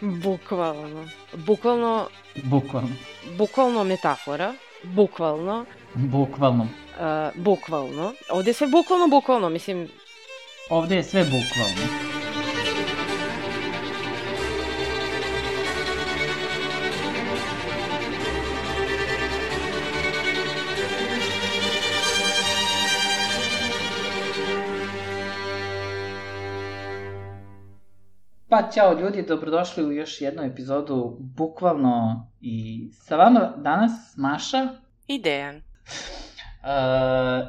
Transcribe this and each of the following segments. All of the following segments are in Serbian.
Bukvalno. Bukvalno. Bukvalno. Bukvalno metafora. Bukvalno. Bukvalno. Bukvalno. Ovde je sve bukvalno, mislim... Ovde je sve bukvalno. Pa, ćao ljudi, dobrodošli u još jednu epizodu Bukvalno i sa vama danas Maša i Dejan.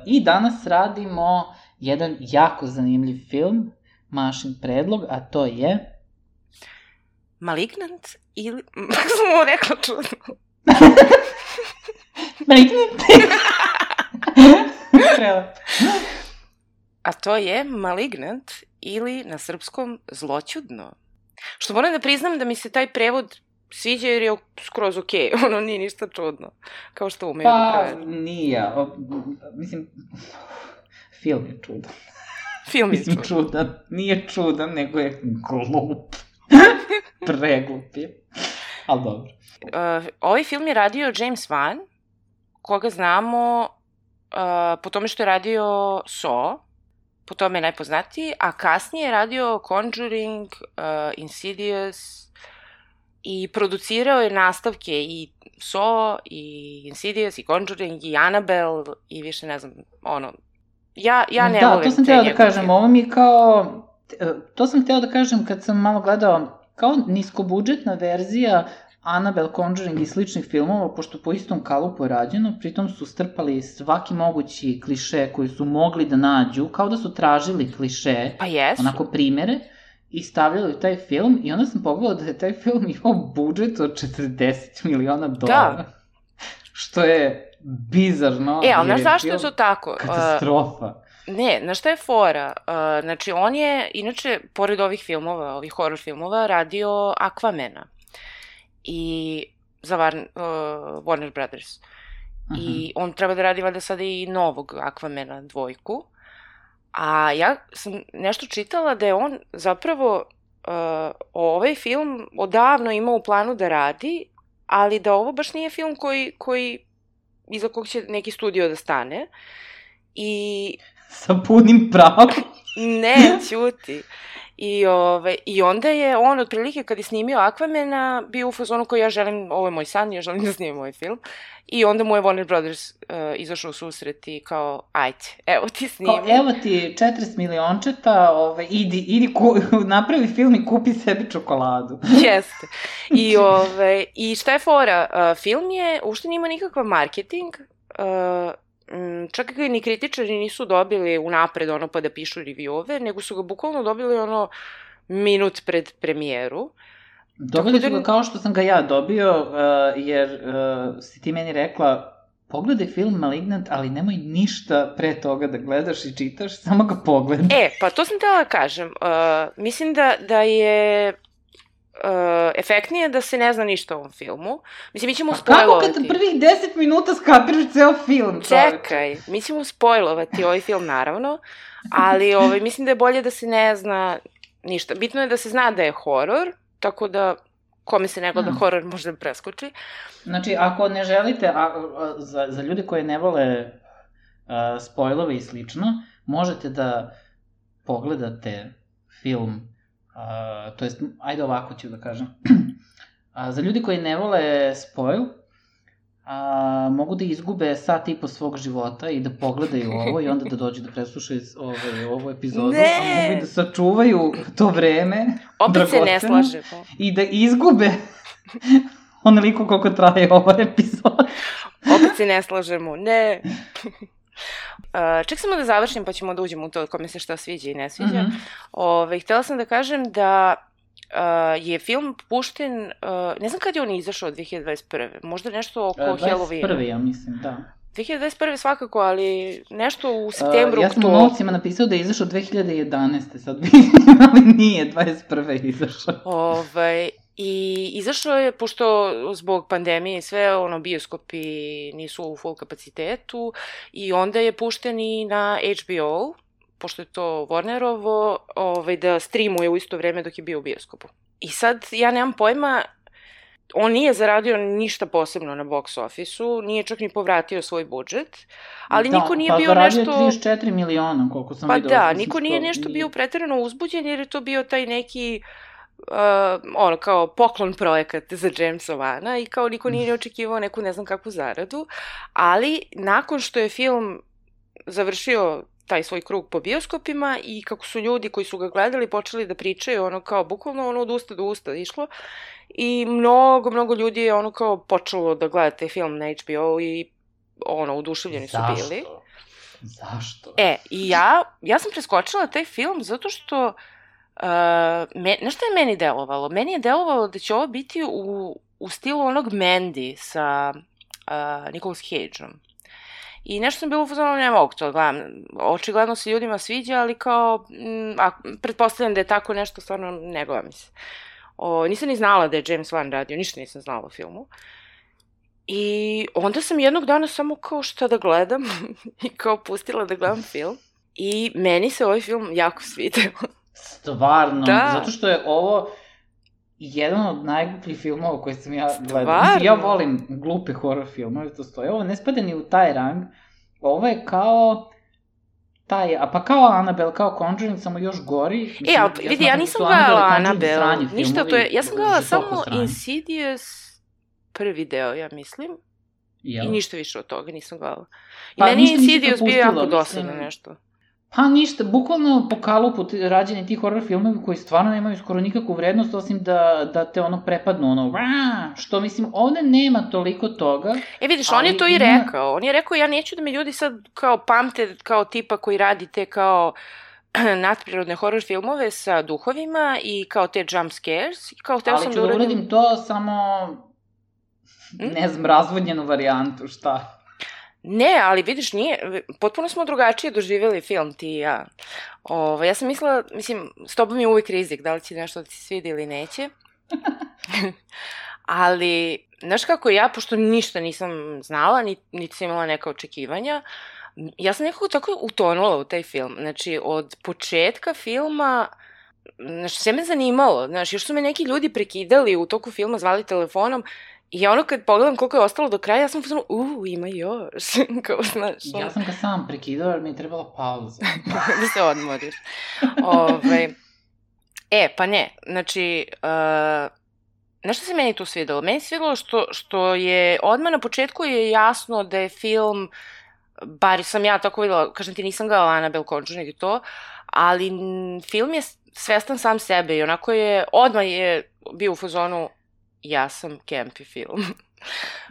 I danas radimo jedan jako zanimljiv film, Mašin predlog, a to je... Malignant ili... Kako sam ovo rekla čudno? Malignant! Prelepo. A to je Malignant ili na srpskom Zloćudno. Što moram da priznam da mi se taj prevod sviđa jer je skroz okej. Ono nije ništa čudno. Kao što umeju da prevedu. Pa, nije. Mislim, film je čudan. Film je čudan. Nije čudan, nego je glup. Preglup je. Ali dobro. Ovaj film je radio James Wan, koga znamo po tome što je radio Saw, po tome je najpoznatiji, a kasnije je radio Conjuring, Insidious i producirao je nastavke i Saw, i Insidious, i Conjuring, i Annabelle, i više ne znam, ono, ja ne volim te njegove. Da, to sam htjela da kažem, ovo mi je kao, to sam htjela da kažem kad sam malo gledao, kao niskobudžetna verzija Annabelle, Conjuring i sličnih filmova, pošto po istom kalupu je rađeno, pritom su strpali svaki mogući kliše koji su mogli da nađu, kao da su tražili kliše, pa jesu, onako primere, i stavljali u taj film, i onda sam pogledala da je taj film imao budžet od $40 miliona. Da. Što je bizarno. Ali znaš zašto je to tako? Katastrofa. Ne, znaš šta je fora? Znači, on je, inače, pored ovih filmova, ovih horror filmova, radio Aquamena. I za Warner Brothers. I on treba da radi valjda sada i novog Aquamena 2. A ja sam nešto čitala da je on zapravo ovaj film odavno imao u planu da radi, ali da ovo baš nije film iza kog će neki studio da stane. I... Sa punim pravom. Ne, ćuti. I onda je on, otprilike, kad je snimio Aquamena, bio u fazonu koji ja želim, ovo je moj san, ja želim da snimim ovaj film. I onda mu je Warner Brothers izašao u susret i kao, ajde, evo ti snimi. Kao, evo ti 40 miliončeta, idi napravi film i kupi sebi čokoladu. Jeste. I šta je fora? Film je, uopšte nima nikakav marketing, čak i ni kritičari nisu dobili unapred ono pa da pišu reviewove, nego su ga bukvalno dobili ono minut pred premijeru. Dobili su ga kao što sam ga ja dobio, jer si ti meni rekla, pogledaj film Malignant, ali nemoj ništa pre toga da gledaš i čitaš, samo ga pogledaj. Pa to sam htjela da kažem. Mislim da je... efektnije da se ne zna ništa o ovom filmu. Mislim, mi ćemo spojlovati. Kako kad prvih 10 minuta skapiraš ceo film, čovječ? Čekaj, mi ćemo spojlovati ovaj film, naravno, ali mislim da je bolje da se ne zna ništa. Bitno je da se zna da je horor, tako da kome se ne gleda horor možda preskoči. Znači, ako ne želite, za ljude koji ne vole spojlove i slično, možete da pogledate film. To jest, ajde ovako ću da kažem. Za ljudi koji ne vole spoil, mogu da izgube sat i po svog života i da pogledaju ovo i onda da dođu da preslušaju ovu epizodu, a mogu i da sačuvaju to vreme. Opet se ne slažemo. I da izgube onoliko koliko traje ova epizoda. Opet se ne slažemo, ne. Ček samo da završim pa ćemo da uđemo u to kome se šta sviđa i ne sviđa. Htjela sam da kažem da je film pušten, ne znam kad je on izašao, 2021. Možda nešto oko Halloweena. 21. ja mislim, da. 2021. svakako, ali nešto u septembru, ja sam u novcima napisao da je izašao 2011. sad vidim, ali nije 21. izašao. I izašao je, pošto zbog pandemije i sve, bioskopi nisu u full kapacitetu, i onda je pušten i na HBO, pošto je to Warnerovo, da streamuje u isto vreme dok je bio u bioskopu. I sad ja nemam pojma, on nije zaradio ništa posebno na box office-u, nije čak ni povratio svoj budžet, ali niko nije bio nešto... Da, pa zaradio 34 miliona, koliko sam vidio. Pa da, niko nije nešto bio preterano uzbuđen, jer je to bio taj neki, kao poklon projekat za Jamesa Vana i kao niko nije očekivao neku ne znam kakvu zaradu, ali nakon što je film završio taj svoj krug po bioskopima i kako su ljudi koji su ga gledali počeli da pričaju, kao bukvalno od usta do usta išlo, i mnogo ljudi je kao počelo da gleda taj film na HBO i oduševljeni su bili. Zašto? I ja sam preskočila taj film zato što znaš šta je meni delovalo? Meni je delovalo da će ovo biti u stilu onog Mandy sa Nicolas Cage-om. I nešto sam bilo u fazonu, ne mogu to gledam. Očigledno se ljudima sviđa, ali kao, pretpostavljam da je tako nešto, stvarno ne gleda mi se. Nisam ni znala da je James Wan radio, ništa nisam znala o filmu. I onda sam jednog dana samo kao šta da gledam i kao pustila da gledam film. I meni se ovaj film jako svideo. Stvarno, zato što je ovo jedan od najglupljih filmova koje sam ja gledala. Mislim, ja volim glupe horror filmove, to stoje. Ovo ne spada ni u taj rang. Ovo je kao kao Annabelle, kao Conjuring, samo još gori. Vidi, ja nisam gledala Annabelle. Ništa, ja sam gledala samo Insidious prvi deo, ja mislim. I ništa više od toga nisam gledala. I meni je Insidious bio jako dosadno nešto. Pa ništa, bukvalno po kalupu rađeni ti horror filmovi koji stvarno nemaju skoro nikakvu vrednost, osim da te prepadnu, što mislim, ovde nema toliko toga. Vidiš, on je to i rekao. On je rekao, ja neću da me ljudi sad kao pamte kao tipa koji radi te kao nadprirodne horror filmove sa duhovima i kao te jump scares. Ali ću da uradim to samo, ne znam, razvodnjenu varijantu, šta? Ne, ali vidiš, potpuno smo drugačije doživjeli film, ti i ja. Ja sam mislila, s tobom je uvijek rizik, da li će nešto da ti svidi ili neće. Ali, znaš kako ja, pošto ništa nisam znala, niti sam imala neka očekivanja, ja sam nekako tako utonula u taj film. Znači, od početka filma, sve me zanimalo. Još su me neki ljudi prekidali u toku filma, zvali telefonom. I kad pogledam koliko je ostalo do kraja, ja sam pozvano, ima još, kao znaš. Ja sam ga sam prekidao, jer mi je trebala pauza. Da se odmoriš. Pa ne, znači, nešto se meni tu svidelo? Meni se svidelo što je, odmah na početku je jasno da je film, bar sam ja tako videla, kažem ti, nisam gledala Annabelle, Conjuring i to, ali film je svestan sam sebe i odmah je bio u fazonu, ja sam campy film.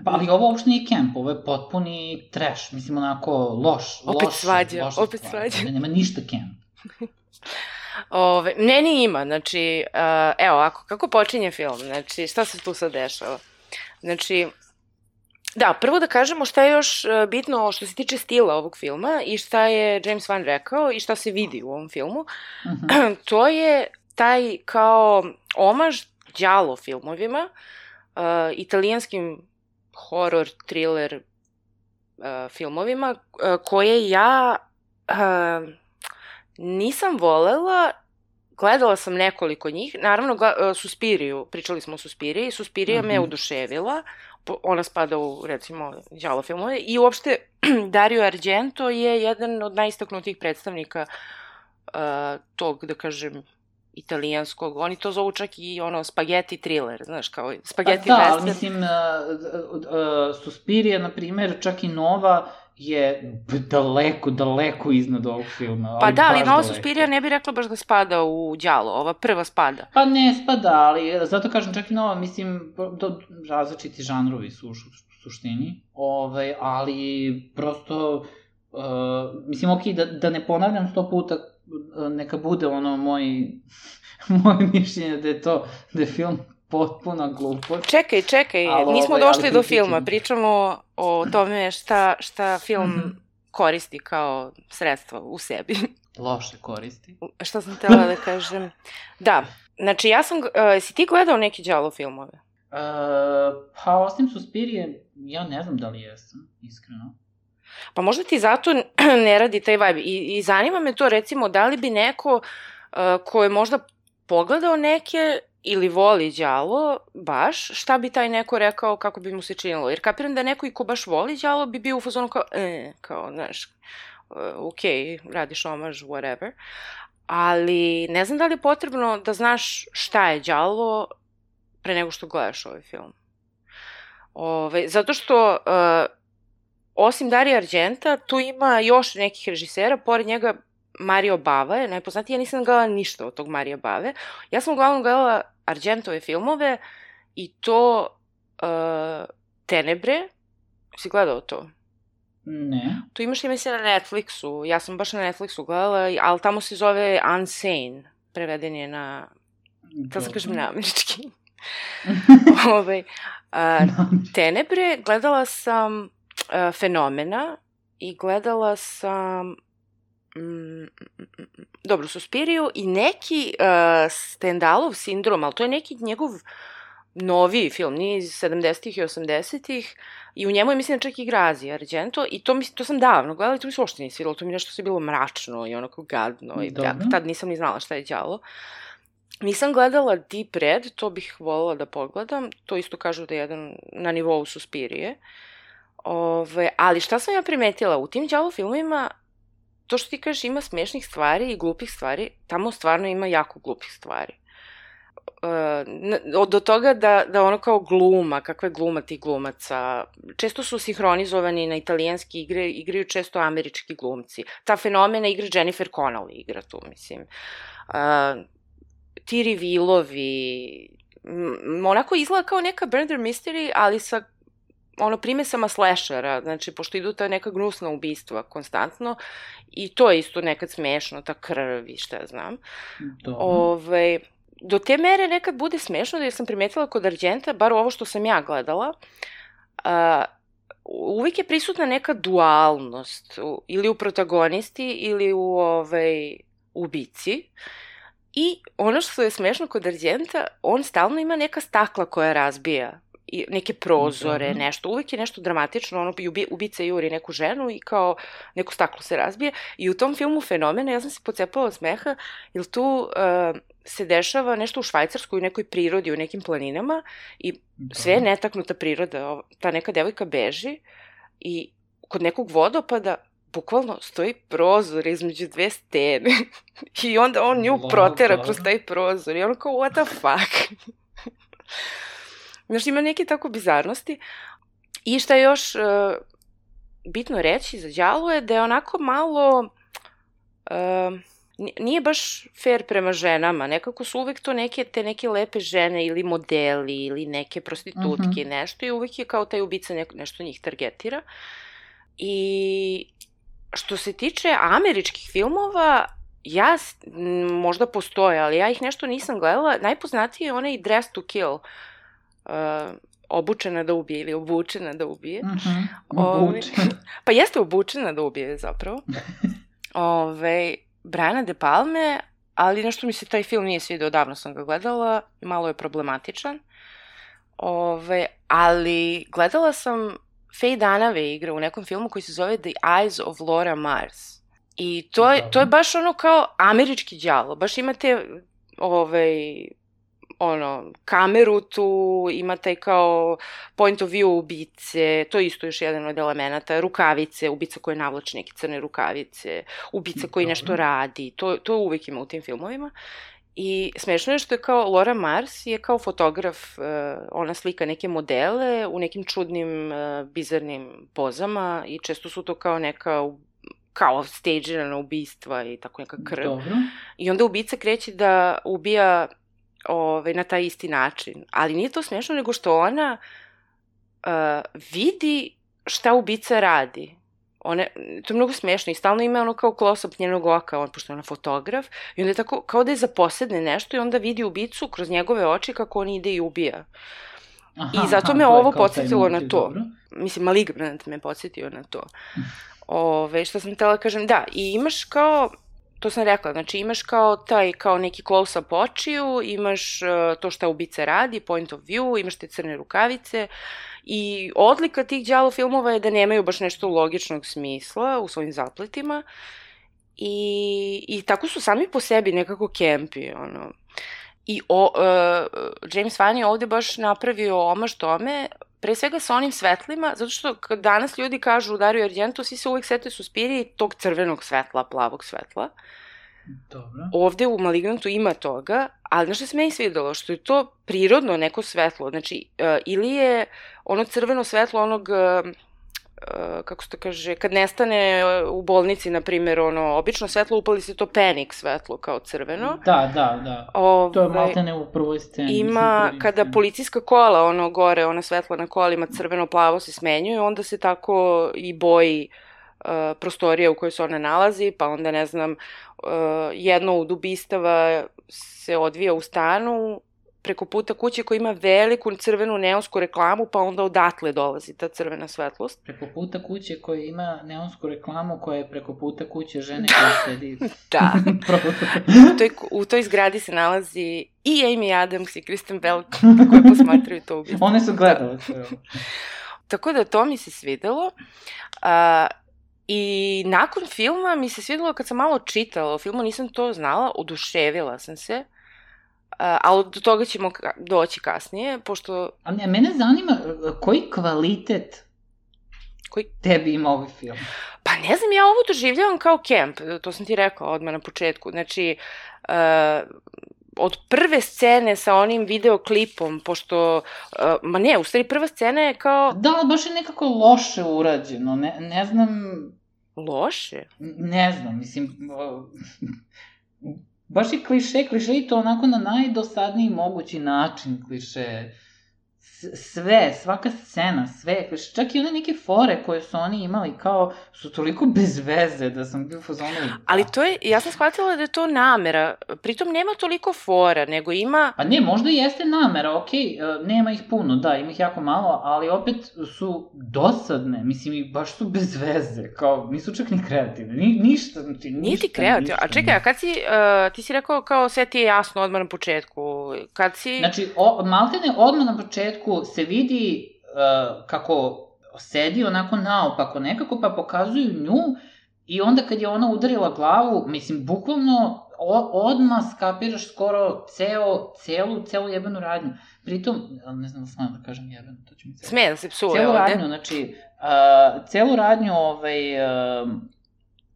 Ali ovo uopšte nije camp, ovo je potpuni trash, mislim onako loš. Opet svađa. Nema ništa camp. Meni ima, znači, evo ovako, kako počinje film, znači, šta se tu sad dešava? Znači, da, prvo da kažemo šta je još bitno što se tiče stila ovog filma i šta je James Wan rekao i šta se vidi u ovom filmu. To je taj kao omaž đalo filmovima, italijanskim horror, thriller filmovima, koje ja nisam volela. Gledala sam nekoliko njih, naravno Suspiriju, pričali smo o Suspiriji, Suspirija me oduševila, ona spada u, recimo, đalo filmove, i uopšte Dario Argento je jedan od najistaknutijih predstavnika tog, da kažem, italijanskog, oni to zovu čak i spaghetti thriller, znaš, kao spaghetti western. Da, ali mislim, Suspirija, na primer, čak i nova, je daleko iznad ovog filma. Pa da, ali nova Suspirija ne bi rekla baš da spada u đalo, ova prva spada. Pa ne spada, ali zato kažem, čak i nova, mislim, različiti žanrovi su u suštini, ali prosto, mislim, okej, da ne ponavljam 100 puta, neka bude moje mišljenje da je film potpuna glupost. Čekaj, nismo došli do filma, pričamo o tome šta film koristi kao sredstvo u sebi. Loše koristi. Šta sam htjela da kažem? Da, znači si ti gledao neke đalo filmove? Pa osim Suspirije, ja ne znam da li jesam, iskreno. Pa možda ti zato ne radi taj vibe. I zanima me to, recimo, da li bi neko ko je možda pogledao neke ili voli đalo, baš, šta bi taj neko rekao kako bi mu se činilo. Jer kapiram da neko i ko baš voli đalo bi bio u fazonu kao, znaš, radiš omaž, whatever. Ali ne znam da li je potrebno da znaš šta je đalo pre nego što gledaš ovaj film. Zato što, osim Darija Argenta, tu ima još nekih režisera, pored njega Mario Bava je najpoznatiji, ja nisam gledala ništa od tog Marija Bave. Ja sam uglavnom gledala Argentove filmove i to Tenebre. Si gledao to? Ne. Tu imaš ime se na Netflixu, ja sam baš na Netflixu gledala, ali tamo se zove Unsane, preveden je na, da sam kažem na američki. Tenebre, gledala sam Fenomena i gledala sam dobro, Suspiriju i neki Stendhalov sindrom, ali to je neki njegov noviji film, nije iz 70-ih i 80-ih i u njemu je, mislim, čak igra Azija Argento i to sam davno gledala i to mi se uopšte nije svidelo, to mi nešto se bilo mračno i onako gadno i tad nisam ni znala šta je đalo. Nisam gledala Deep Red, to bih voljela da pogledam, to isto kažu da je jedan na nivou Suspirije. Ali šta sam ja primetila, u tim đalo filmima, to što ti kažeš ima smešnih stvari i glupih stvari, tamo stvarno ima jako glupih stvari. Do toga da ono kao gluma, kakva je gluma tih glumaca, često su sinhronizovani na italijanski igre, igraju često američki glumci. Ta Fenomena igra Jennifer Connelly, igra tu, mislim. Ti revealovi, onako izgleda kao neka murder mystery, ali sa primesama slashera, znači, pošto idu ta neka gnusna ubistva konstantno i to je isto nekad smešno, ta krv i šta ja znam. Do te mere nekad bude smešno, da sam primetila kod Argenta, bar ovo što sam ja gledala, uvijek je prisutna neka dualnost, ili u protagonisti, ili u ubici. I ono što je smešno kod Argenta, on stalno ima neka stakla koja razbija, neke prozore, nešto, uvijek je nešto dramatično, ono, ubica juri neku ženu i kao neko staklo se razbije i u tom filmu Fenomena ja sam se pocepala od smeha, jer tu se dešava nešto u Švajcarskoj, u nekoj prirodi, u nekim planinama i sve je netaknuta priroda, ta neka devojka beži i kod nekog vodopada bukvalno stoji prozor između dve stene i onda on nju protera kroz taj prozor i ono kao what the fuck. Znaš, ima neke tako bizarnosti. I šta je još bitno reći za đalo je da je onako malo, nije baš fair prema ženama, nekako su uvek to te neke lepe žene ili modeli ili neke prostitutke, nešto i uvek je kao taj ubica nešto njih targetira. I što se tiče američkih filmova, možda postoje, ali ja ih nešto nisam gledala, najpoznatiji je onaj Dress to Kill, obučena da ubije ili obučena da ubije. Pa jeste obučena da ubije zapravo. Briana De Palme, ali nešto mi se taj film nije svidio, davno sam ga gledala, malo je problematičan. Ali gledala sam Faye Dunaway igra u nekom filmu koji se zove The Eyes of Laura Mars. I to je baš ono kao američki đalo, baš imate kameru tu, ima taj kao point of view ubice, to je isto još jedan od elemenata, rukavice, ubica koji navlači neke crne rukavice, ubica koji nešto radi, to uvijek ima u tim filmovima. I smešno je što je kao Laura Mars je kao fotograf, ona slika neke modele u nekim čudnim, bizarnim pozama i često su to kao neka kao stagirana ubistva i tako neka krv. Dobro. I onda ubica kreće da ubija na taj isti način. Ali nije to smešno, nego što ona vidi šta ubica radi. To je mnogo smešno i stalno ima ono kao close-up njenog oka, pošto je ona fotograf, i onda je tako, kao da je zaposedne nešto i onda vidi ubicu kroz njegove oči kako on ide i ubija. I zato me ovo podsjetilo na to. Mislim, Malignant me podsjetio na to. Što sam htjela kažem, da, i imaš kao, to sam rekla, znači imaš kao neki close-up očiju, imaš to šta ubica radi, point of view, imaš te crne rukavice i odlika tih đalo filmova je da nemaju baš nešto logičnog smisla u svojim zapletima i tako su sami po sebi nekako kempi, ono. I James Wan je ovde baš napravio omaž tome, pre svega sa onim svetlima, zato što kad danas ljudi kažu u Dario Argento, svi se uvek sete Suspirije tog crvenog svetla, plavog svetla. Dobro. Ovde u Malignantu ima toga, ali znaš što se meni svidelo? Što je to prirodno neko svetlo. Znači, ili je ono crveno svetlo onog, kako se to kaže, kad nestane u bolnici, na primjer, ono, obično svetlo, upali se to penik svetlo kao crveno. Da. To je maltene u prvoj sceni. Ima, kada policijska kola, ono, gore, ona svetla na kolima, crveno-plavo se smenjuju, onda se tako i boji prostorija u kojoj se ona nalazi, pa onda, ne znam, jedno od ubistava se odvija u stanu preko puta kuće koja ima veliku crvenu neonsku reklamu, pa onda odatle dolazi ta crvena svetlost. Preko puta kuće koja ima neonsku reklamu koja je preko puta kuće žene koja sedi. Da. U toj zgradi se nalazi i Amy Adams i Kristen Bell koji posmatraju to ubistvo. One su gledale. Tako da to mi se svidelo. I nakon filma mi se svidelo kad sam malo čitala o filmu, nisam to znala, oduševila sam se. Ali do toga ćemo doći kasnije, pošto... A mene zanima koji kvalitet tebi ima ovaj film? Pa ne znam, ja ovo doživljavam kao kemp, to sam ti rekla odmah na početku. Znači, od prve scene sa onim videoklipom, pošto... Ma ne, u stvari prva scena je kao... Da, baš je nekako loše urađeno, ne znam... Loše? Ne znam, mislim... Baš je kliše i to onako na najdosadniji mogući način kliše. Svaka scena, sve kliše. Čak i one neke fore koje su oni imali kao su toliko bez veze da sam bio fazonu. Ali to je, ja sam shvatila da je to namera. Pritom nema toliko fora, nego ima... Pa ne, možda jeste namera, okej, nema ih puno, da, ima ih jako malo, ali opet su dosadne, mislim, i baš su bez veze, kao, nisu čak ni kreativne, ništa. Nije ti kreativno, a čekaj, a kad si, ti si rekao kao sve ti je jasno odmah na početku, kad si... Znači, maltene odmah na početku se vidi kako sedi onako naopako nekako, pa pokazuju nju i onda kad je ona udarila glavu, mislim, bukvalno odmah skapiraš skoro celu jebenu radnju. Pritom, ne znam da smijem da kažem jebenu, to će mi celo. Smije da se psuje ovde. Celu radnju, znači, celu radnju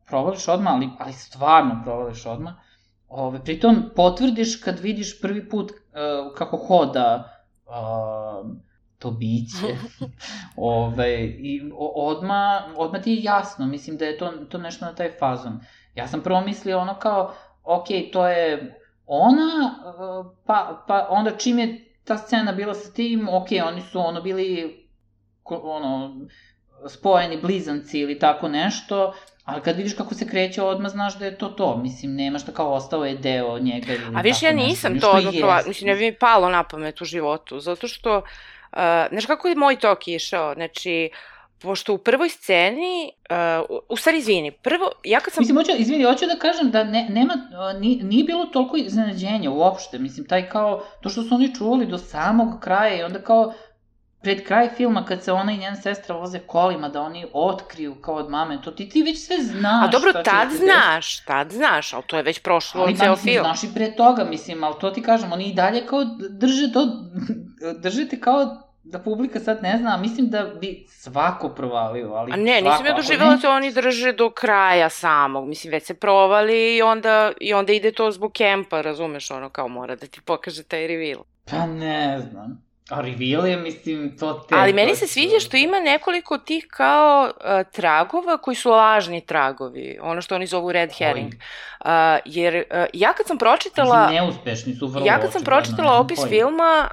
provališ odmah, ali stvarno provališ odmah. Pritom potvrdiš kad vidiš prvi put kako hoda to biće. I odmah ti je jasno, mislim da je to nešto na taj fazon. Ja sam prvo mislio ono kao, okej, to je ona, pa onda čim je ta scena bila sa tim, okej, oni su bili spojeni blizanci ili tako nešto, ali kad vidiš kako se kreće odmah, znaš da je to. Mislim, nema šta kao ostao je deo njega ili tako nešto. A viš, ja nisam to odmah provalila, mislim, ne bi mi palo na pamet u životu, zato što, znaš kako je moj tok išao, znači, pošto u prvoj sceni, u stvari, izvini, prvo, ja kad sam... Mislim, hoću da kažem da nije bilo toliko iznenađenja uopšte, mislim, taj kao, to što su oni čuvali do samog kraja i onda kao, pred kraj filma, kad se ona i njena sestra voze kolima, da oni otkriju kao od mame, to ti već sve znaš. A dobro, tad znaš, ali to je već prošlo ceo film. Znaš i pre toga, mislim, ali to ti kažem, oni i dalje kao držite kao da publika sad ne zna, a mislim da bi svako provalio, ali svako. A ne, nisam ja doživjela da oni drže do kraja samog, mislim, već se provali i onda ide to zbog kempa, razumeš, ono kao mora da ti pokaže taj reveal. Pa ne znam. A reveal je, mislim, to Ali meni se sviđa što ima nekoliko tih kao tragova koji su lažni tragovi, ono što oni zovu red herring. Jer ja kad sam pročitala... Neuspešni su vrlo. Ja kad sam pročitala opis filma,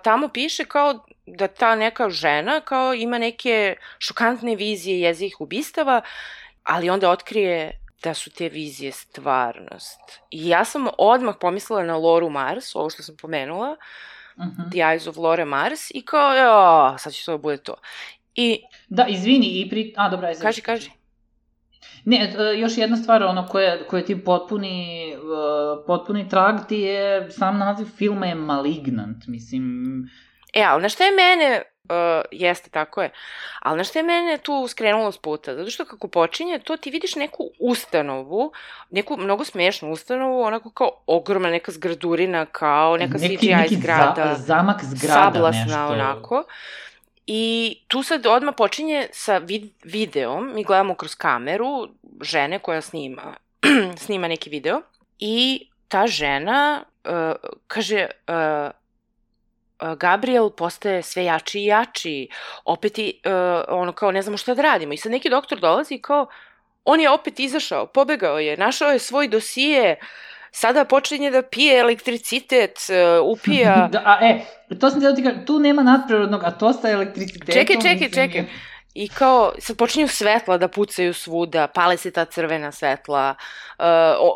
tamo piše kao da ta neka žena kao ima neke šokantne vizije jezivih ubistava, ali onda otkrije da su te vizije stvarnost. I ja sam odmah pomislila na Lauru Mars, ovo što sam pomenula, The Eyes of Laura Mars, i kao, sad će to bude to. Da, izvini, dobro, ajde. Kaži. Ne, još jedna stvar, koja ti potpuni trag ti je, sam naziv filma je Malignant, mislim... Ali na šta je mene jeste, tako je. Ali znaš što je mene tu skrenulo s puta? Zato što kako počinje, to ti vidiš neku ustanovu, neku mnogo smiješnu ustanovu, onako kao ogromna neka zgradurina, kao neka CGI zgrada. Neki zamak zgrada, sablasna, nešto. onako. I tu sad odmah počinje sa videom, mi gledamo kroz kameru žene koja snima neki video i ta žena kaže... Gabriel postaje sve jači i jači, opet ono kao ne znamo šta da radimo. I sad neki doktor dolazi i kao, on je opet izašao, pobegao je, našao je svoj dosije, sada počinje da pije elektricitet, upija... To sam htjela ti kažem, tu nema nadprirodnog, a to sa elektricitetom... Čekaj. I kao, sad počinju svetla da pucaju svuda, pale se ta crvena svetla,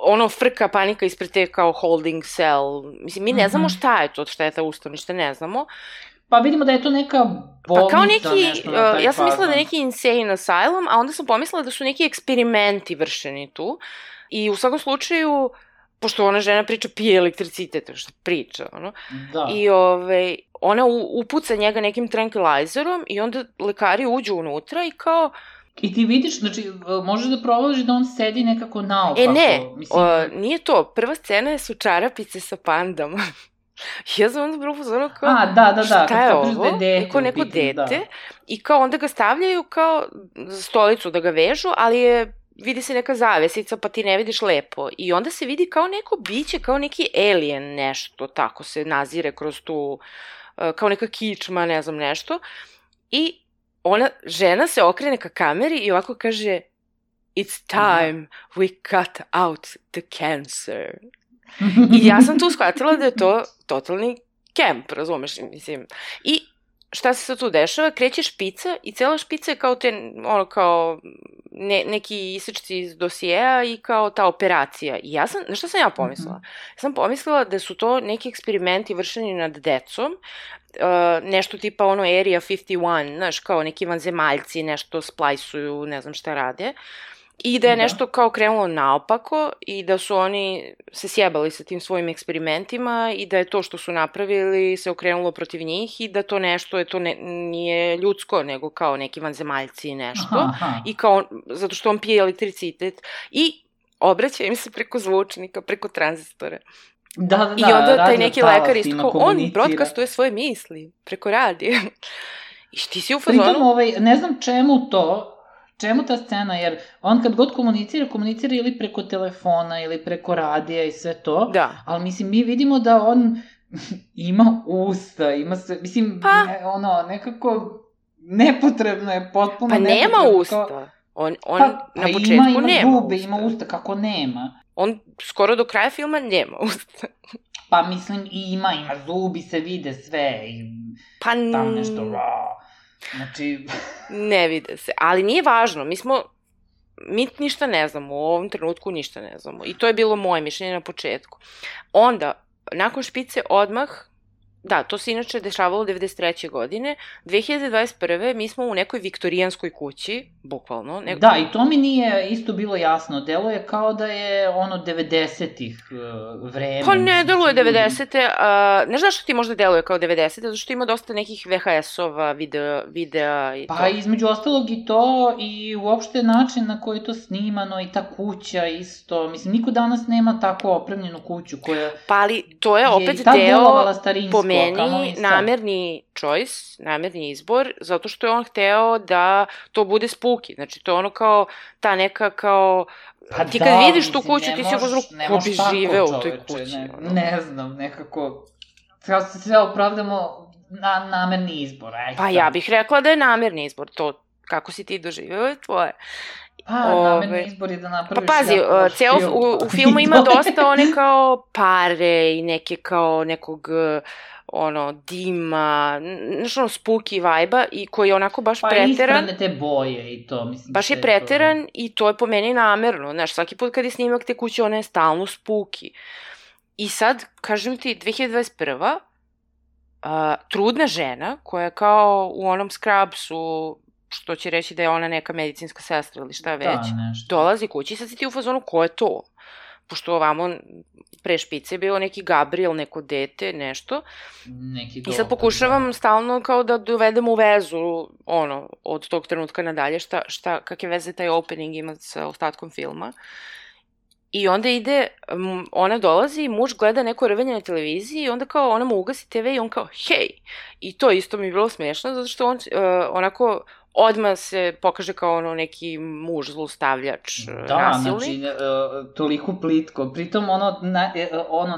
ono frka, panika ispred te kao holding cell. Mislim, mi ne znamo šta je to, šta je ta ustanova, ništa ne znamo. Pa vidimo da je to neka bolnica, pa kao neki, nešto na taj ja sam mislila fazon. da je neki insane asylum, a onda sam pomislila da su neki eksperimenti vršeni tu. I u svakom slučaju, pošto ona žena priča pije elektricitet, što priča, ono. Da. I ona upuca njega nekim tranquilizerom i onda lekari uđu unutra i kao... I ti vidiš, znači, možeš da provališ da on sedi nekako naopako. Nije to. Prva scena su čarapice sa pandama. Ja sam onda bilo pozorno kao... Da, šta je ovo? Neko dete. I kao onda ga stavljaju kao za stolicu da ga vežu, ali vidi se neka zavesica pa ti ne vidiš lepo. I onda se vidi kao neko biće, kao neki alien nešto, tako se nazire kroz tu... kao neka kičma, ne znam nešto. I žena se okrene ka kameri i ovako kaže It's time we cut out the cancer. I ja sam tu shvatila da je to totalni kemp, razumeš, mislim. I šta se sad tu dešava? Kreće špica i cela špica je kao kao neki isečci iz dosijeja i kao ta operacija. I ja sam, na šta sam ja pomislila? Ja sam pomislila da su to neki eksperimenti vršeni nad decom, nešto tipa ono Area 51, znaš, kao neki vanzemaljci nešto splajsuju, ne znam šta rade. I da je nešto kao krenulo naopako i da su oni se sjebali sa tim svojim eksperimentima i da je to što su napravili se okrenulo protiv njih i da to nešto nije ljudsko, nego kao neki vanzemaljci i nešto. I kao, zato što on pije elektricitet i obraća im se preko zvučnika, preko tranzistora. Da, i onda taj neki lekar isto kao, on broadcastuje svoje misli preko radija. I ti si u fazonu... Pritom, ne znam čemu ta scena, jer on kad god komunicira ili preko telefona ili preko radija i sve to, ali mislim, mi vidimo da on ima usta, ima sve, mislim, nekako nepotrebno je, potpuno nepotrebno. Pa nema usta, on na početku nema zube, ima usta, kako nema? On skoro do kraja filma nema usta. Pa mislim, ima zubi, se vide sve, i tam nešto, znači... Ne vide se, ali nije važno, mi ništa ne znamo, u ovom trenutku ništa ne znamo. I to je bilo moje mišljenje na početku. Onda, nakon špice odmah, to se inače dešavalo 93. godine, 2021. mi smo u nekoj viktorijanskoj kući, bukvalno. Da, i to mi nije isto bilo jasno, deluje kao da je 90-ih vreme. Pa ne deluje 90-te, ne znaš što ti možda deluje kao 90-te, zato što ima dosta nekih VHS-ova, videa i to. Pa između ostalog i to, i uopšte način na koji je to snimano, i ta kuća isto, mislim, niko danas nema tako opremljenu kuću koja... Pa ali to je opet deo, po meni, namerni choice, namerni izbor, zato što je on hteo da to bude spooky. Znači, to je ono kao, ta neka kao... Ti kad vidiš tu kuću, ti si uzro, ko bi živeo u toj kući. Ne znam, nekako... Sve opravdamo na namerni izbor. Pa ja bih rekla da je namerni izbor. To, kako si ti doživeo, je tvoje. Pa, namerni izbor je da napraviš... Pa pazi, u filmu ima dosta one kao pare i neke kao nekog... dima, nešto spooky vibe-a i koji je onako baš preteran. Pa isprane te boje i to, mislim. Baš je preteran i to je po meni namerno. Znaš, svaki put kad je snimak te kuće, ona je stalno spooky. I sad, kažem ti, 2021. Trudna žena, koja je kao u onom Scrubsu, što će reći da je ona neka medicinska sestra ili šta već, dolazi kući i sad si ti u fazonu, ko je to? Pošto ovamo pre špice je bio neki Gabriel, neko dete, nešto. Neki I sad pokušavam stalno kao da dovedem u vezu, od tog trenutka nadalje, kakve veze taj opening ima sa ostatkom filma. I onda ona dolazi, muž gleda neko rvenje na televiziji i onda kao ona mu ugasi TV i on kao, hej! I to isto mi je bilo smiješno, zato što on onako odmah se pokaže kao neki muž, zlostavljač, nasilnik. Da, znači, toliko plitko. Pritom,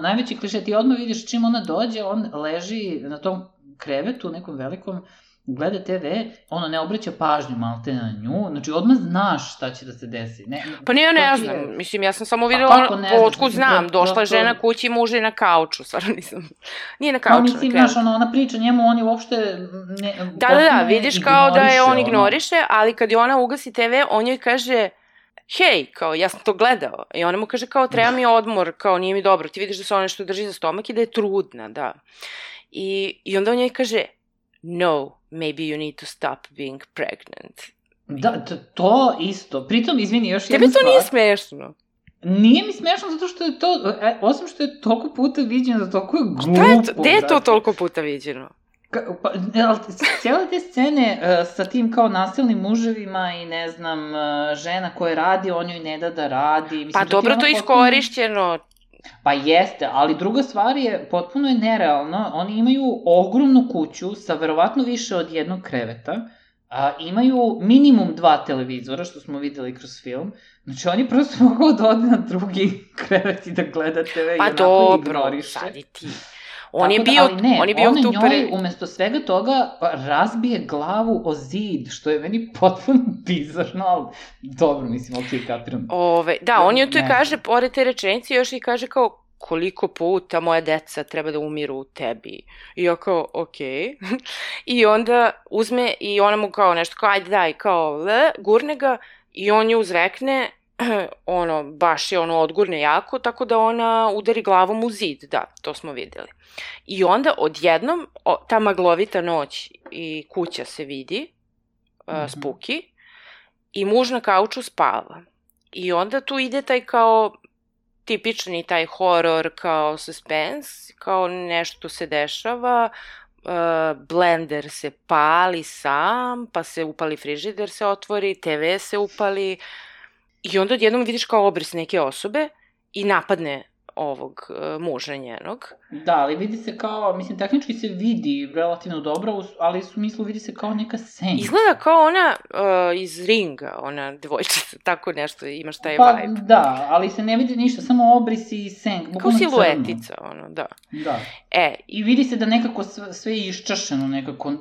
najveći kliše, ti odmah vidiš čim ona dođe, on leži na tom krevetu, nekom velikom, gleda TV, ne obraća pažnju malte na nju, znači odmah znaš šta će da se desi. Pa nije, ne znam, mislim, ja sam samo videla, otkud znam, došla je žena kući, muž je na kauču, stvarno nisam, nije na kauču. Mislim, znaš, ona priča njemu, on je uopšte Da, vidiš kao da je on ignoriše, ali kad je ona ugasi TV, on joj kaže, hej, kao, ja sam to gledao, i ona mu kaže kao, treba mi odmor, kao, nije mi dobro, ti vidiš da se ona nešto drži za stomak i da je trudna, da. I onda on joj kaže, no, maybe you need to stop being pregnant. Da, to isto. Pritom, izvini, još jedna stvar. Tebi to nije smešno? Nije mi smešno zato što je to, osim što je toliko puta viđeno, da toliko je glupo. Gde je to toliko puta viđeno? Cijele te scene sa tim kao nasilnim muževima i ne znam, žena koja radi, on joj ne da radi. Pa dobro, to je iskorišćeno. Pa jeste, ali druga stvar je, potpuno je nerealno, oni imaju ogromnu kuću sa verovatno više od jednog kreveta, imaju minimum 2 televizora, što smo videli kroz film, znači oni prosto mogu da ode na drugi krevet i da gleda TV i onako ignoriše. Pa dobro, sad i ti. On je bio tu pre... njoj, umesto svega toga, razbije glavu o zid, što je meni potpuno bizarno, ali dobro, mislim, okej, kapiram. Da, on je tu i kaže, pored te rečenice, još i kaže kao, koliko puta moja deca treba da umiru u tebi. I ja kao, okej. I onda uzme i ona mu kao nešto, kao, ajde daj, kao, gurne ga, i on ju uzrekne, baš je odgurne jako, tako da ona udari glavom u zid, da, to smo videli. I onda odjednom, ta maglovita noć i kuća se vidi, spuki, i muž na kauču spava. I onda tu ide taj kao tipični taj horor, kao suspense, kao nešto se dešava, blender se pali sam, pa se upali frižider se otvori, TV se upali, i onda odjednom vidiš kao obris neke osobe i napadne ovog muža njenog. Da, ali vidi se kao, mislim, tehnički se vidi relativno dobro, ali u smislu vidi se kao neka senka. Izgleda kao ona iz Ringa, ona devojčica, tako nešto, imaš taj vibe. Pa da, ali se ne vidi ništa, samo obrisi i senk. Kao siluetica, da. Da. I vidi se da nekako sve je iščašeno nekako.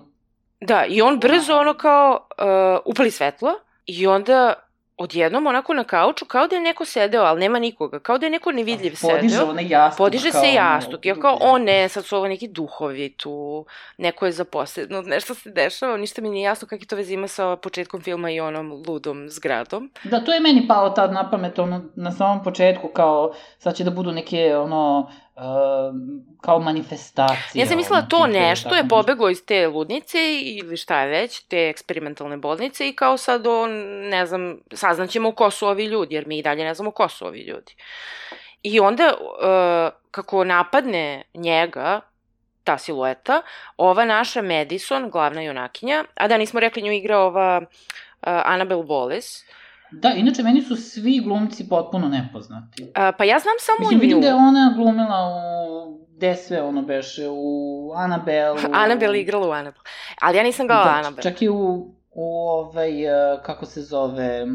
Da, i on brzo kao upali svetlo i onda odjednom onako na kauču, kao da je neko sedeo, ali nema nikoga, kao da je neko nevidljiv sedeo. Podiže se jastuk. Ja kao, ne, sad su ovo neki duhovi tu, neko je zaposleno, nešto se dešava, ništa mi nije jasno kakve to veze ima sa početkom filma i onom ludom zgradom. Da, to je meni palo tad na pamet, na samom početku, kao, sad će da budu neke, kao manifestacije. Ja sam mislila to nešto je pobeglo iz te ludnice ili šta je već, te eksperimentalne bolnice i kao sad ne znam, saznaćemo ko su ovi ljudi, jer mi i dalje ne znamo ko su ovi ljudi. I onda, kako napadne njega, ta silueta, ova naša Madison, glavna junakinja, a da nismo rekli, nju igra ova Annabelle Wallis. Da, inače, meni su svi glumci potpuno nepoznati. Pa ja znam samo nju. Mislim, vidim da je ona glumila gde sve beše, u Annabelle. Annabelle igrala u Annabelle. Ali ja nisam gledala Annabelle. Čak i u kako se zove,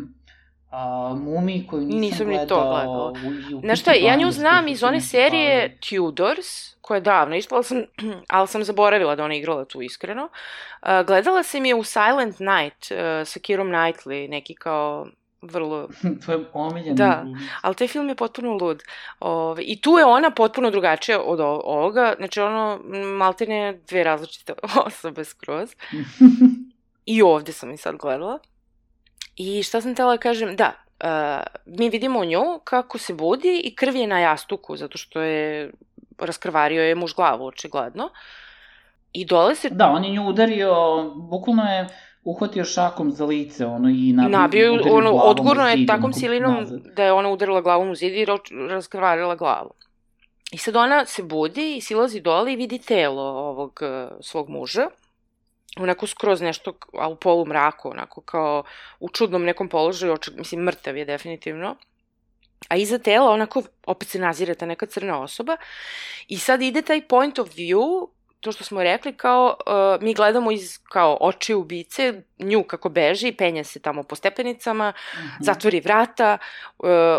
Mumiji koju nisam gledala. Nisam ni to gledala. Znaš šta, ja nju znam iz one serije Tudors, koja je davno išla, ali sam zaboravila da ona igrala tu iskreno. Gledala sam je u Silent Night sa Keirom Knightley, neki kao vrlo... To je omiljeno. Da, ali taj film je potpuno lud. I tu je ona potpuno drugačija od ovoga, znači maltene 2 različite osobe skroz. I ovde sam i sad gledala. I šta sam htjela da kažem, da, mi vidimo nju kako se budi i krv je na jastuku, zato što je raskrvario je muž glavu, očigledno. I dole se... Da, on je nju udario, bukvalno je uhvatio šakom za lice, i nabio odgurno je takvom silinom da je ona udarila glavom u zid i raskrvarila glavu. I sad ona se budi i silazi dole i vidi telo ovog svog muža, onako skroz nešto, a u polumraku, onako kao u čudnom nekom položaju, mislim, mrtav je definitivno. A iza tela onako opet se nazire ta neka crna osoba i sad ide taj point of view, to što smo rekli, kao mi gledamo iz kao oči ubice, nju kako beži, penja se tamo po stepenicama, zatvori vrata,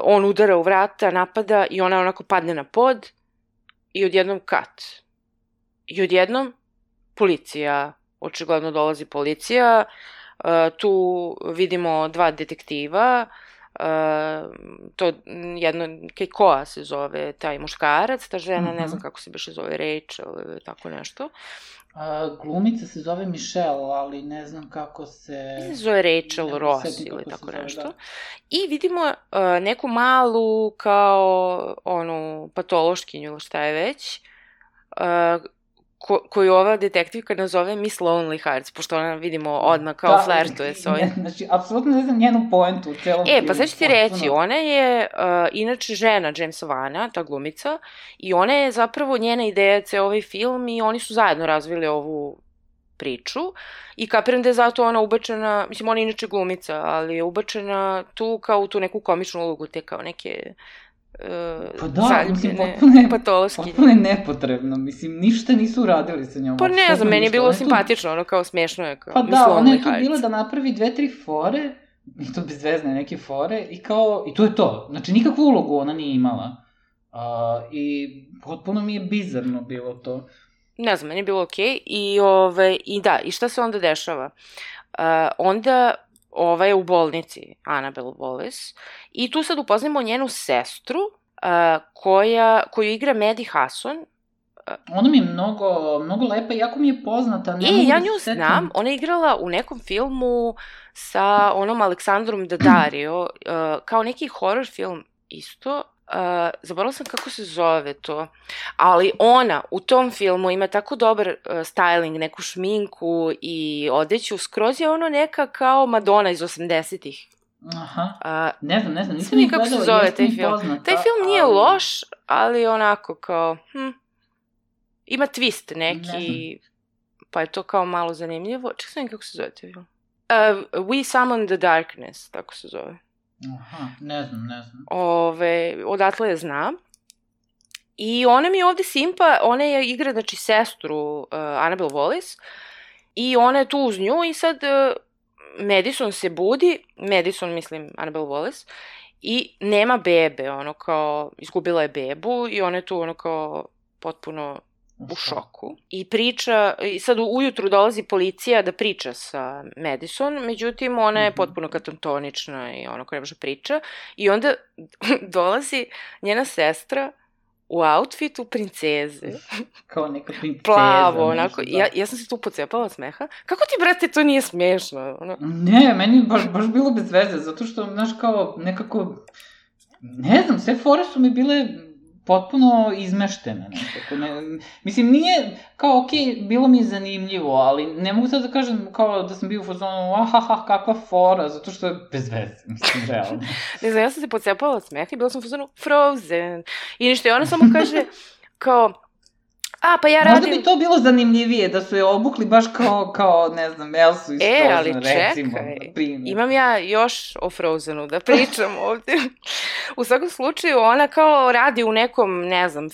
on udara u vrata, napada i ona onako padne na pod i odjednom kat. I odjednom policija, očigledno dolazi policija, tu vidimo dva detektiva, to jedno, Keikoa se zove taj muškarac, ta žena, ne znam kako se biše zove, Rachel ili tako nešto. Glumica se zove Michelle, ali ne znam kako se... Ne zove Rachel Ross ili tako nešto. Da. I vidimo neku malu kao onu patološkinju ili šta je već, koju ova detektivka nazove Miss Lonely Hearts, pošto ona vidimo odmah kao flertuje s ovim. Znači, apsolutno ne znam njenu poentu u celom filmu. Pa sad ću ti reći, ona je inače žena Jamesa Vana, ta glumica, i ona je zapravo njena ideja ceo ovaj film i oni su zajedno razvili ovu priču i kapiram da je zato ona ubačena, mislim, ona je inače glumica, ali je ubačena tu kao u tu neku komičnu ulogu, te kao neke... pa da, mislim, potpuno je nepotrebno, mislim, ništa nisu uradili sa njom. Pa ne znam, meni je bilo simpatično, ono kao smešno je, kao pa da, ona je tu bila da napravi 2-3 fore, i to bezvezne neke fore, i kao, i to je to, znači nikakvu ulogu ona nije imala, i potpuno mi je bizarno bilo to. Ne znam, meni je bilo okej, i da, i šta se onda dešava? Onda... Ova je u bolnici, Annabelle Wallis, i tu sad upoznamo njenu sestru, koju igra Maddie Hasson. Ona mi je mnogo lepa, jako mi je poznata. Ja nju znam, ona je igrala u nekom filmu sa onom Aleksandrom Daddario, kao neki horror film isto. Zaboravila sam kako se zove to, ali ona u tom filmu ima tako dobar styling, neku šminku i odeću, skroz je ono neka kao Madonna iz 80-ih. Aha, ne znam, nisam mi kako se zove taj film. Poznata, taj film nije loš, ali onako kao, ima twist neki, pa je to kao malo zanimljivo. Čekaj sam kako se zove taj film. We Summon the Darkness, tako se zove. Aha, ne znam. Odatle je znam. I ona mi je ovde simpa, ona je igra, znači, sestru Annabelle Wallis, i ona je tu uz nju i sad Madison se budi, mislim Annabelle Wallis, i nema bebe, ono kao, izgubila je bebu i ona je tu ono kao potpuno u šoku. I priča, i sad ujutru dolazi policija da priča sa Madison, međutim ona je potpuno katatonična i ono ko ne može priča. I onda dolazi njena sestra u outfitu princeze. Kao neka princeza. Plavo, onako. Ja sam se tu pocepala od smeha. Kako ti, brate, to nije smešno? Ne, meni je baš bilo bez veze, zato što, znaš, kao nekako, ne znam, sve fore su mi bile potpuno izmeštene nekako. Mislim, nije, kao, okej, bilo mi je zanimljivo, ali ne mogu sad da kažem kao da sam bio u fazonu, kakva fora, zato što je bez veze, mislim, realno. Ne znam, ja sam se pocepala od smeha i bila sam u fazonu Frozen. I ništa, i ona samo kaže, kao, pa ja radim... Možda bi to bilo zanimljivije, da su je obukli baš kao, ne znam, Elsu iz Frozen, ali recimo. Imam ja još o Frozenu da pričam ovde. U svakom slučaju, ona kao radi u nekom, ne znam,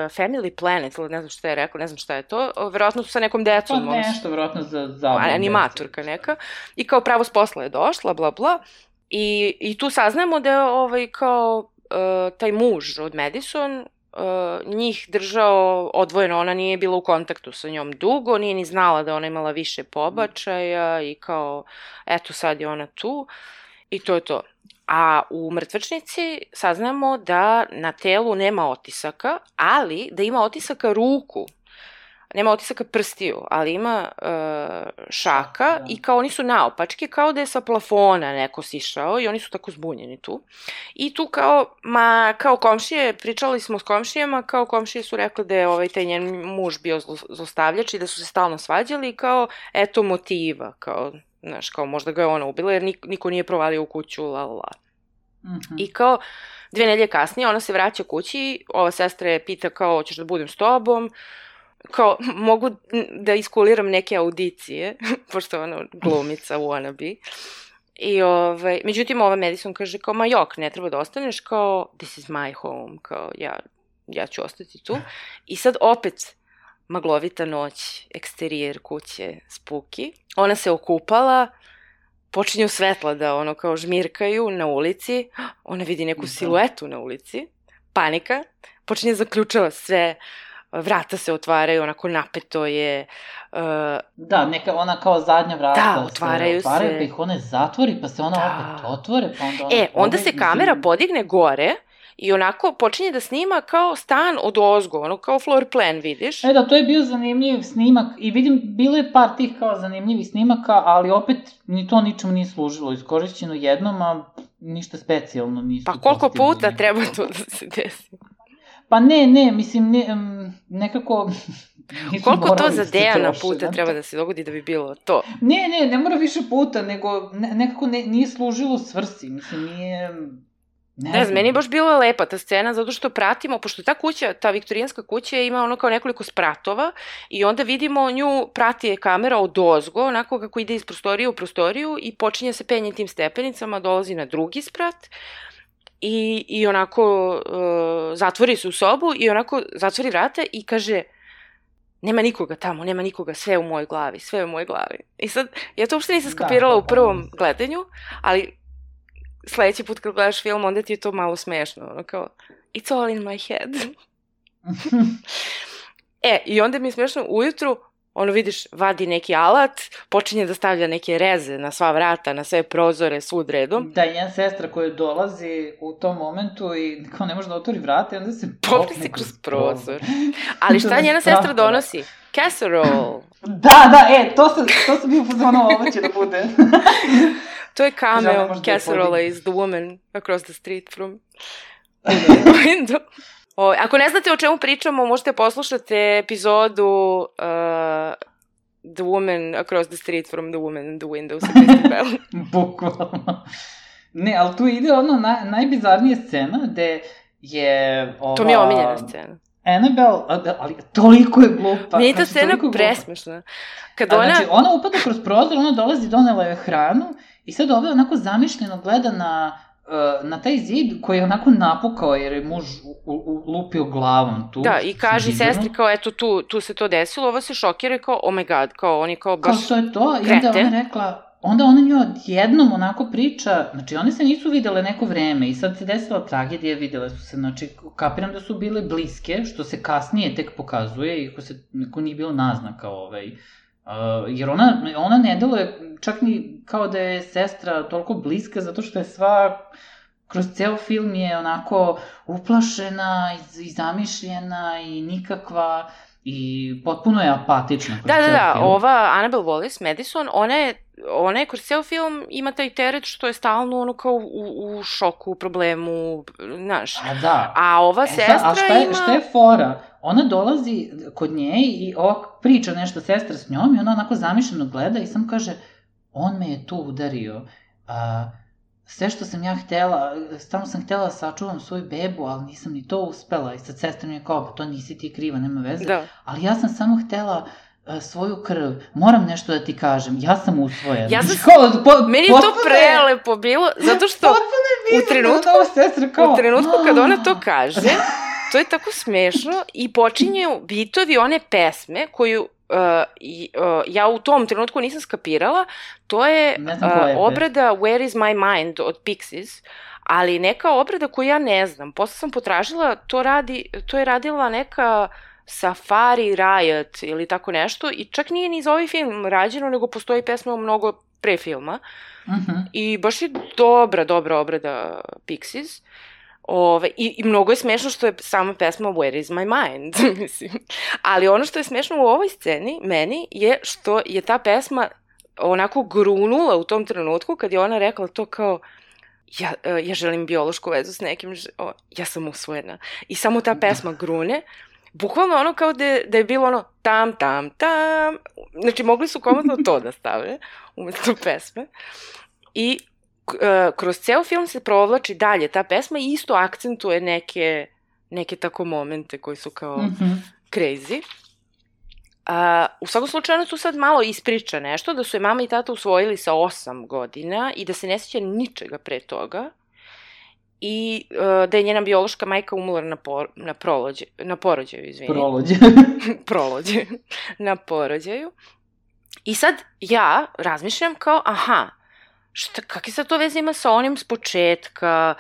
Family Planet, ili ne znam šta je rekao, ne znam šta je to, verovatno sa nekom decom. Pa nešto, verovatno za animatorka neka. I kao pravo s posla je došla, bla, bla. I tu saznamo da je kao taj muž od Madison njih držao odvojeno, ona nije bila u kontaktu sa njom dugo, nije ni znala da ona imala više pobačaja i kao, eto sad je ona tu i to je to. A u mrtvačnici saznamo da na telu nema otisaka, ali da ima otisaka ruku. Nema otisaka prstiju, ali ima šaka i kao oni su naopačke, kao da je sa plafona neko sišao i oni su tako zbunjeni tu. I tu kao komšije, pričali smo s komšijama, kao komšije su rekli da je taj njen muž bio zlostavljač i da su se stalno svađali i kao, eto motiva, kao, znaš, kao možda ga je ona ubila jer niko nije provalio u kuću, la. I kao 2 nedelje kasnije ona se vraća kući, ova sestra je pita kao, hoćeš da budem s tobom, mogu da iskuliram neke audicije, pošto je ona glumica wannabe. I međutim, ova Madison kaže kao, ma jok, ne treba da ostaneš, kao, this is my home, kao, ja ću ostati tu. I sad opet, maglovita noć, eksterijer kuće, spooky. Ona se okupala, počinju svetla da kao žmirkaju na ulici, ona vidi neku siluetu na ulici, panika, počinje zaključava sve, vrata se otvaraju, onako napeto je. Da, ona kao zadnja vrata. Da, otvaraju se. Pa ih one zatvori, pa se ona opet otvore, pa onda... Onda se kamera podigne gore i onako počinje da snima kao stan od ozgo, ono kao floor plan, vidiš? Da, to je bio zanimljiv snimak i vidim, bilo je par tih kao zanimljivih snimaka, ali opet ni to ničemu nije služilo, iskorišćeno jednom, a ništa specijalno nisu. Pa koliko puta treba to da se desi? Pa ne, mislim, nekako... Koliko to za Dejana puta treba da se dogodi da bi bilo to? Ne mora više puta, nego nekako nije služilo svrsi, mislim, nije... Ne znam, meni je baš bila lepa ta scena, zato što pratimo, pošto ta kuća, ta viktorijanska kuća ima ono kao nekoliko spratova i onda vidimo nju, prati je kamera od ozgo, onako kako ide iz prostorije u prostoriju i počinje se penje tim stepenicama, dolazi na drugi sprat i onako zatvori se u sobu i onako zatvori vrata i kaže, nema nikoga tamo, nema nikoga, sve je u mojoj glavi, sve je u mojoj glavi. I sad, ja to uopšte nisam skapirala u prvom gledanju, ali sledeći put kad gledaš film, onda ti je to malo smešno, ono kao, it's all in my head. I onda mi je smešno ujutru, ono vidiš, vadi neki alat, počinje da stavlja neke reze na sva vrata, na sve prozore, svud redom. Da, njena sestra koja dolazi u tom momentu i kao ne može da otvori vrata i onda se popne kroz prozor. Ali šta njena sestra donosi? Casserole. Da, to sam bio pozvano, ovo će da bude. To je cameo Casserole is the woman across the street from the window. Ako ne znate o čemu pričamo, možete poslušati epizodu The Woman Across the Street from the Woman in the Window sa Kristen Bell. Bukvalno. Ne, ali tu ide ono najbizarnija scena gde je To mi je omiljena scena. Annabelle, ali toliko je glupa. Nije ta scena presmešna. Znači, ona upada kroz prozor, ona dolazi, donela je hranu i sad ove onako zamišljeno gleda na taj zid koji je onako napukao jer je muž lupio glavom tu. Da, i kaže sestri kao, eto, tu se to desilo, ovo se šokira kao, oh my god, kao oni kao baš kao to je to, i onda ona rekla, onda ona njoj odjednom onako priča, znači one se nisu videle neko vreme i sad se desila tragedija, videle su se, znači kapiram da su bile bliske, što se kasnije tek pokazuje, iako se neko nije bilo naznaka jer ona ne deluje čak ni kao da je sestra toliko bliska, zato što je sva, kroz ceo film je onako uplašena i zamišljena i nikakva i potpuno je apatična kroz ceo film. Ova Annabelle Wallis, Madison, ona je kroz ceo film ima taj teret što je stalno ono kao u šoku, u problemu, znaš. A ova sestra ima... Šta je fora? Ona dolazi kod nje i priča nešto sestra s njom i ona onako zamišljeno gleda i sam kaže, on me je tu udario. Sve što sam ja htela, stalno sam htela da sačuvam svoju bebu, ali nisam ni to uspela. I sad sestra mi je kao, to nisi ti kriva, nema veze. Ali ja sam samo htela svoju krv, moram nešto da ti kažem, ja sam usvojena. Meni je to prelepo bilo, zato što u trenutku kad ona to kaže, to je tako smešno i počinju bitovi one pesme koju ja u tom trenutku nisam skapirala, to je obrada Where is my mind od Pixies, ali neka obrada koju ja ne znam. Posle sam potražila, to je radila neka Safari Riot ili tako nešto i čak nije ni za ovaj film rađeno, nego postoji pesma mnogo pre filma. I baš je dobra obrada Pixies. I mnogo je smešno što je sama pesma Where is my mind, mislim. Ali ono što je smešno u ovoj sceni, meni, je što je ta pesma onako grunula u tom trenutku kad je ona rekla to kao ja želim biološku vezu s nekim, ja sam usvojena. I samo ta pesma grune, bukvalno ono kao da je bilo ono tam, tam, tam. Znači mogli su komotno to da stave umesto pesme. I kroz ceo film se provlači dalje ta pesma i isto akcentuje neke tako momente koji su kao crazy. U svakom slučaju ona tu sad malo ispriča nešto, da su je mama i tata usvojili sa 8 godina i da se ne sjeća ničega pre toga i da je njena biološka majka umrla na porođaju, izvini. Na porođaju. I sad ja razmišljam kao, kakve sad to veze ima sa onim s početka,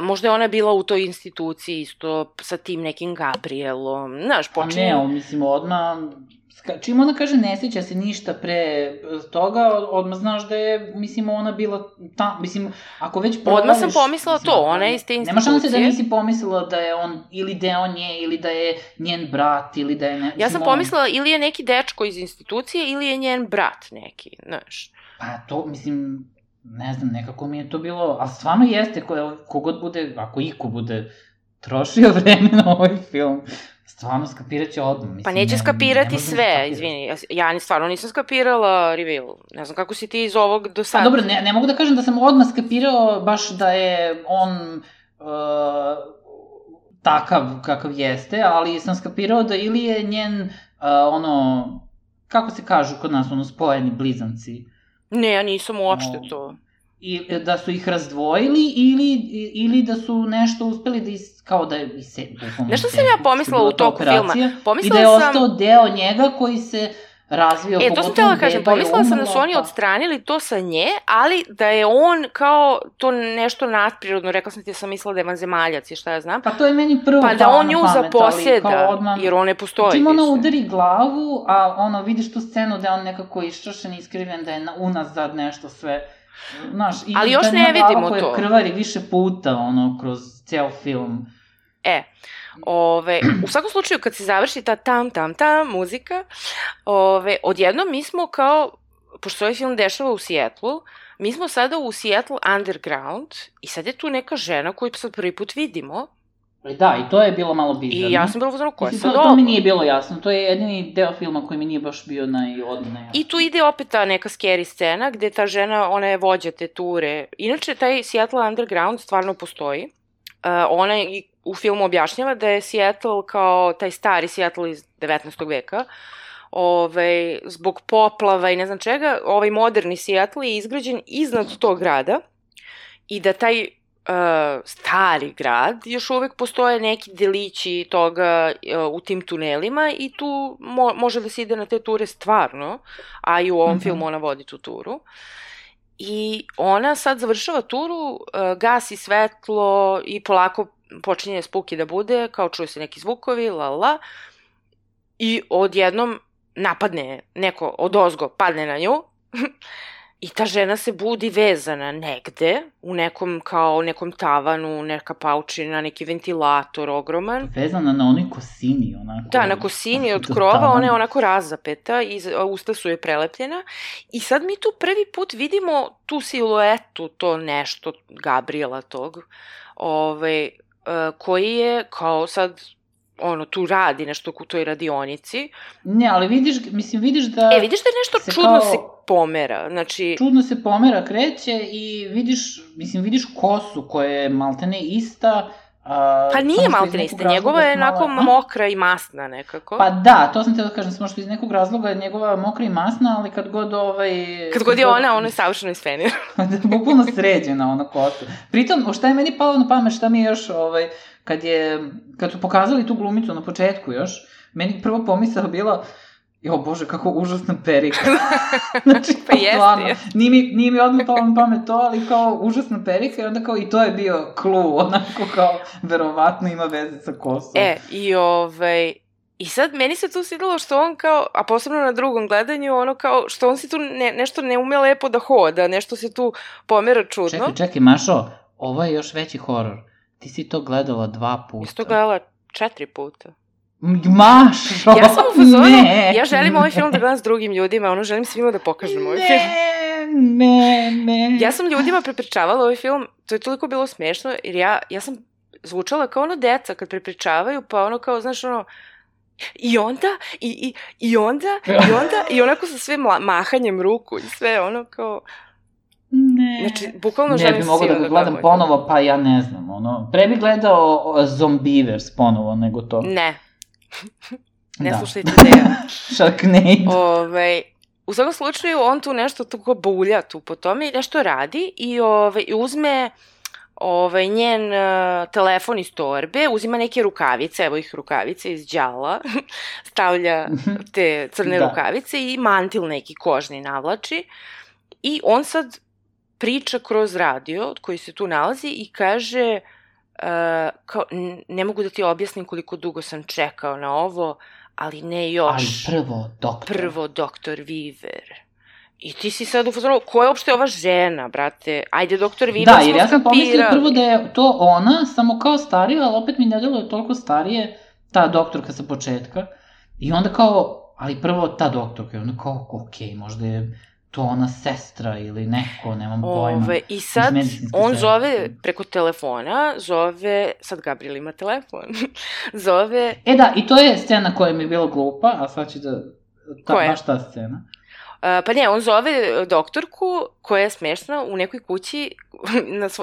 možda je ona bila u toj instituciji isto sa tim nekim Gabrielom, znaš, počinje... A ne, mislim, odmah, čim ona kaže ne sjeća se ništa pre toga, odmah znaš da je, mislim, ona bila tam, mislim, ako već provališ... Odmah sam pomislila to, ona je iz te institucije. Nema šanse da nisi pomislila da je on ili deo nje, ili da je njen brat, ili da je... Ja sam pomislila ili je neki dečko iz institucije, ili je njen brat neki, znaš. Pa to, mislim... Ne znam, nekako mi je to bilo, a stvarno jeste, kogod bude, ako iko bude trošio vreme na ovaj film, stvarno skapirat će odmah. Pa neće skapirati sve, izvini, ja stvarno nisam skapirala reveal, ne znam kako si ti iz ovog do sada. Pa dobro, ne mogu da kažem da sam odmah skapirao baš da je on takav kakav jeste, ali sam skapirao da ili je njen, kako se kažu kod nas, spojeni blizanci. Ne, ja nisam uopšte to. I da su ih razdvojili ili da su nešto uspeli da kao da je nešto sam ja pomislila u toku filma. I da je ostao deo njega koji se razvio. To sam htjela kažem, pomislila sam da su oni odstranili to sa nje, ali da je on kao to nešto nadprirodno, rekla sam ti da sam mislila da je vanzemaljac i šta ja znam. Pa to je meni prvo pa da on nju zaposeda, jer on ne postoji. Čim ona udari glavu, a vidiš tu scenu da je on nekako iščašen, iskriven, da je unazad nešto sve. Znaš, ali još ne vidimo to. Krvari više puta, kroz ceo film. U svakom slučaju, kad se završi ta tam muzika, odjednom mi smo kao, pošto ovaj film dešava u Seattlu, mi smo sada u Seattle Underground i sad je tu neka žena koju sad prvi put vidimo. Da, i to je bilo malo bizarno. I ja sam bila uzmano, koja je sad ovo? To mi nije bilo jasno, to je jedini deo filma koji mi nije baš bio najodne jasno. I tu ide opet ta neka scary scena gde ta žena, ona je vođa te ture. Inače, taj Seattle Underground stvarno postoji. Ona u filmu objašnjava da je Seattle kao taj stari Seattle iz 19. veka, zbog poplava i ne znam čega, ovaj moderni Seattle je izgrađen iznad tog grada i da taj stari grad, još uvek postoje neki delići toga u tim tunelima i tu može da se ide na te ture stvarno, a i u ovom filmu ona vodi tu turu. I ona sad završava turu, gasi svetlo i polako počinje spooky da bude, kao čuje se neki zvukovi, i odjednom napadne neko odozgo, padne na nju i ta žena se budi vezana negde, u nekom tavanu, neka paučina, neki ventilator ogroman. Vezana na onoj kosini, onako. Da, na kosini od krova, ona je onako razapeta i usta su joj prelepljena. I sad mi tu prvi put vidimo tu siluetu, to nešto, Gabriela tog, koji je kao sad... tu radi nešto u toj radionici. Ne, ali vidiš da... Vidiš da je nešto čudno se pomera, znači... Čudno se pomera, kreće i vidiš kosu koja je maltene ista. Pa nije maltene ista, njegova je onako mokra i masna nekako. Pa da, to sam te da kažem, samo što iz nekog razloga je njegova mokra i masna, ali kad god Kad god je ona je savršeno isfenira. Bukvalno sređena ona kosa. Pritom, šta je meni palo na pamet, šta mi je još, kad su pokazali tu glumicu na početku još, meni prvo pomisao bila, bože, kako užasna perika. Znači, pa jeste. Nije mi odmah palo na pamet to, ali kao užasna perika i onda kao i to je bio clue, onako kao verovatno ima veze sa kosom. I sad meni se tu svidelo što on kao, a posebno na drugom gledanju, što on se tu nešto ne ume lepo da hoda, nešto se tu pomera čudno. Čekaj, Mašo, ovo je još veći horor. Ti si to gledala 2 puta. Ja sam to gledala 4 puta. Mašo, ja sam u fazonu, ja želim ovaj film da gledam s drugim ljudima, želim svima da pokažem ovaj film. Ne. Ja sam ljudima prepričavala ovaj film, to je toliko bilo smešno, jer ja sam zvučala kao deca kad prepričavaju, pa kao, znaš, i onda, i onako sa sve mahanjem ruku i sve, kao... Ne. Znači, bukvalno Ne želim bi mogao da ga gledam ponovo, pa ja ne znam, ono. Pre bi gledao Zombievers ponovo nego to. Ne. Ne Da. slušajte Deja. Sharknado. U svakom slučaju, on tu nešto tako bulja tu po tome i nešto radi i uzme njen telefon iz torbe, uzima neke rukavice, evo ih rukavice iz đala, stavlja te crne rukavice i mantil neki kožni navlači i on sad priča kroz radio koji se tu nalazi i kaže kao, ne mogu da ti objasnim koliko dugo sam čekao na ovo, ali ne još. Ali prvo doktor Weaver. I ti si sad u fazonu, ko je uopšte ova žena, brate? Ajde, doktor Weaver smo skapirali. Da, jer ja sam pomislila prvo da je to ona, samo kao starija, ali opet mi ne deluje toliko starije, ta doktorka sa početka. I onda kao, ali prvo ta doktorka, i onda kao, okej, možda je to ona sestra ili neko, nemam pojma. I sad on zove preko telefona, sad Gabriel ima telefon, zove... Da, i to je scena koja mi je bila glupa, a sad će da... Baš ta scena. Pa ne, on zove doktorku koja je smešna u nekoj kući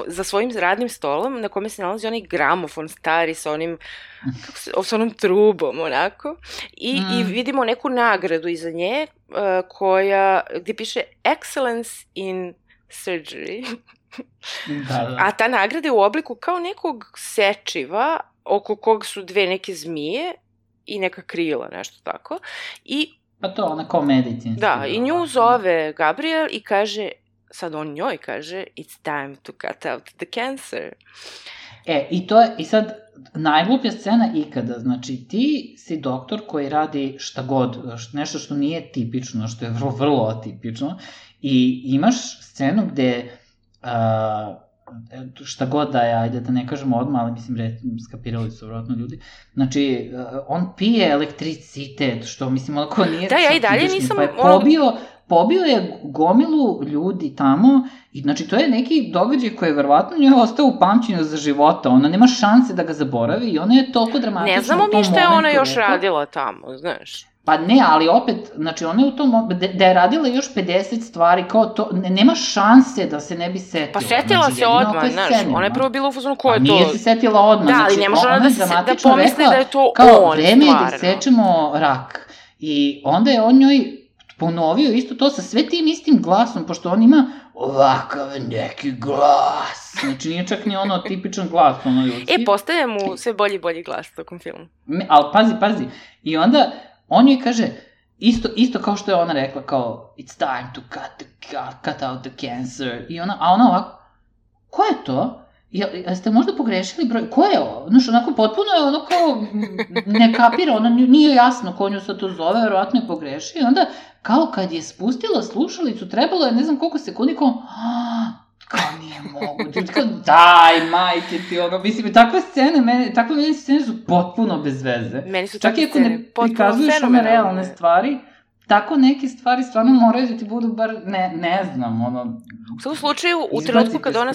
za svojim radnim stolom na kome se nalazi onaj gramofon stari sa onom trubom, onako. I vidimo neku nagradu iza nje gde piše Excellence in Surgery. Da. A ta nagrada je u obliku kao nekog sečiva oko kog su dve neke zmije i neka krila, nešto tako. Pa to, ona kao medicinski. Da, i nju zove Gabriel i kaže, sad on njoj kaže, it's time to cut out the cancer. I sad, najgluplja scena ikada, znači ti si doktor koji radi šta god, nešto što nije tipično, što je vrlo, vrlo atipično, i imaš scenu gde, šta god da je, ajde da ne kažemo odmah, ali mislim, skapirali su vjerojatno ljudi, znači, on pije elektricitet, što mislim, onako nije... Da, ja i dalje nisam... Pa je pobio je gomilu ljudi tamo i znači to je neki događaj koji je verovatno njoj ostao u pamćenju za života, ona nema šanse da ga zaboravi i ona je toliko dramatična. Ne znamo mi šta je ona još radila tamo, znaš. Pa ne, ali opet, znači ona je u tom, da je radila još 50 stvari, kao to, nema šanse da se ne bi setila. Pa setila se odmah, znaš, ona je prvo bila u fazonu ko je to. A nije se setila odmah, da, ali ne može ona da pomisli da je to kao, on, stvarno. Vreme je da sečemo rak. I onda je on njoj ponovio isto to sa sve tim istim glasom, pošto on ima ovakav neki glas. Znači nije čak ni ono tipičan glas, ono ljudski. Postaje mu sve bolji i bolji glas tokom filmu. Ali pazi. I onda on joj kaže, isto kao što je ona rekla, kao, it's time to cut out the cancer. A ona ovako, ko je to? Jeste možda pogrešili broj? Ko je ovo? Znaš, onako potpuno je ono kao, ne kapira, ono nije jasno ko nju sad to zove, verovatno je pogrešio. I onda, kao kad je spustila slušalicu, trebalo je ne znam koliko sekundi, kao nije moguće. Kao, daj, majke ti, ono, mislim, takve scene su potpuno bez veze. Meni su takve scene potpuno fenomenalne. Čak i ako ne prikazuješ one realne stvari, tako neke stvari stvarno moraju da ti budu bar, ne znam, ono... U svakom slučaju, u trenutku kad ona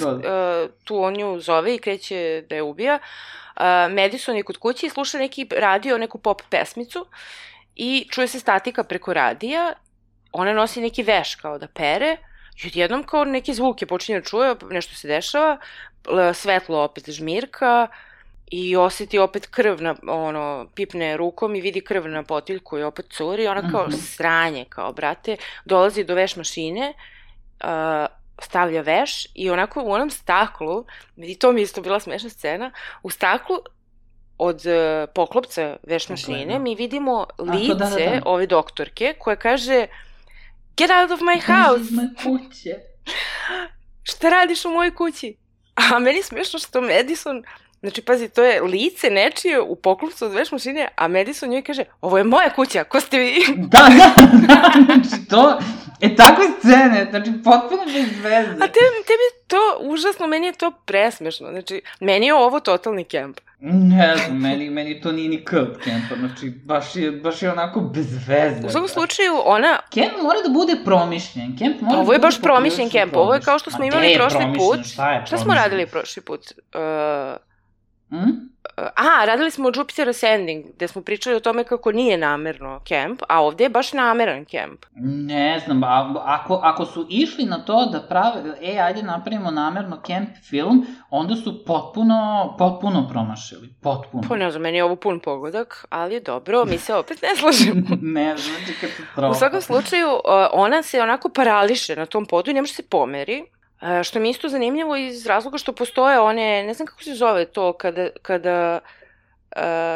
tu on nju zove i kreće da je ubija, Madison je kod kuće i sluša neki radio, neku pop pesmicu i čuje se statika preko radija, ona nosi neki veš kao da pere i odjednom kao neke zvuke počinje da čuje, nešto se dešava, svetlo opet žmirka, i osjeti opet krv pipne rukom i vidi krv na potiljku i opet curi, ona kao sranje, kao brate, dolazi do veš mašine, stavlja veš i onako u onom staklu, i to mi je isto bila smešna scena, u staklu od poklopca veš mašine mi vidimo lice ove doktorke koja kaže get out of my house! Šta radiš u mojoj kući? A meni je smešno što Madison... Znači, pazi, to je lice nečije u poklopcu od veš mašine, a Madison njoj kaže, ovo je moja kuća, ko ste vi? Da, znači to, takve scene, znači, potpuno bez veze. A tebi to, užasno, meni je to presmešno, znači, meni je ovo totalni kemp. Ne znam, meni to nije ni kemp kempa, znači, baš je onako bez veze. U svakom slučaju, ona... Kemp mora da bude promišljen, ovo je baš promišljen kemp, ovo je kao što smo imali prošli put. Šta smo radili prošli put? Radili smo o Jupiter Ascending, gde smo pričali o tome kako nije namerno kemp, a ovde je baš nameran kemp. Ne znam, ako su išli na to da prave, ajde napravimo namerno kemp film, onda su potpuno promašili, potpuno. Pa ne znam, meni je ovo pun pogodak, ali je dobro, mi se opet ne slažemo. Ne znam, katastrofa. U svakom slučaju, ona se onako parališe na tom podu i ne može se pomeri. Što mi je isto zanimljivo iz razloga što postoje one, ne znam kako se zove to, kada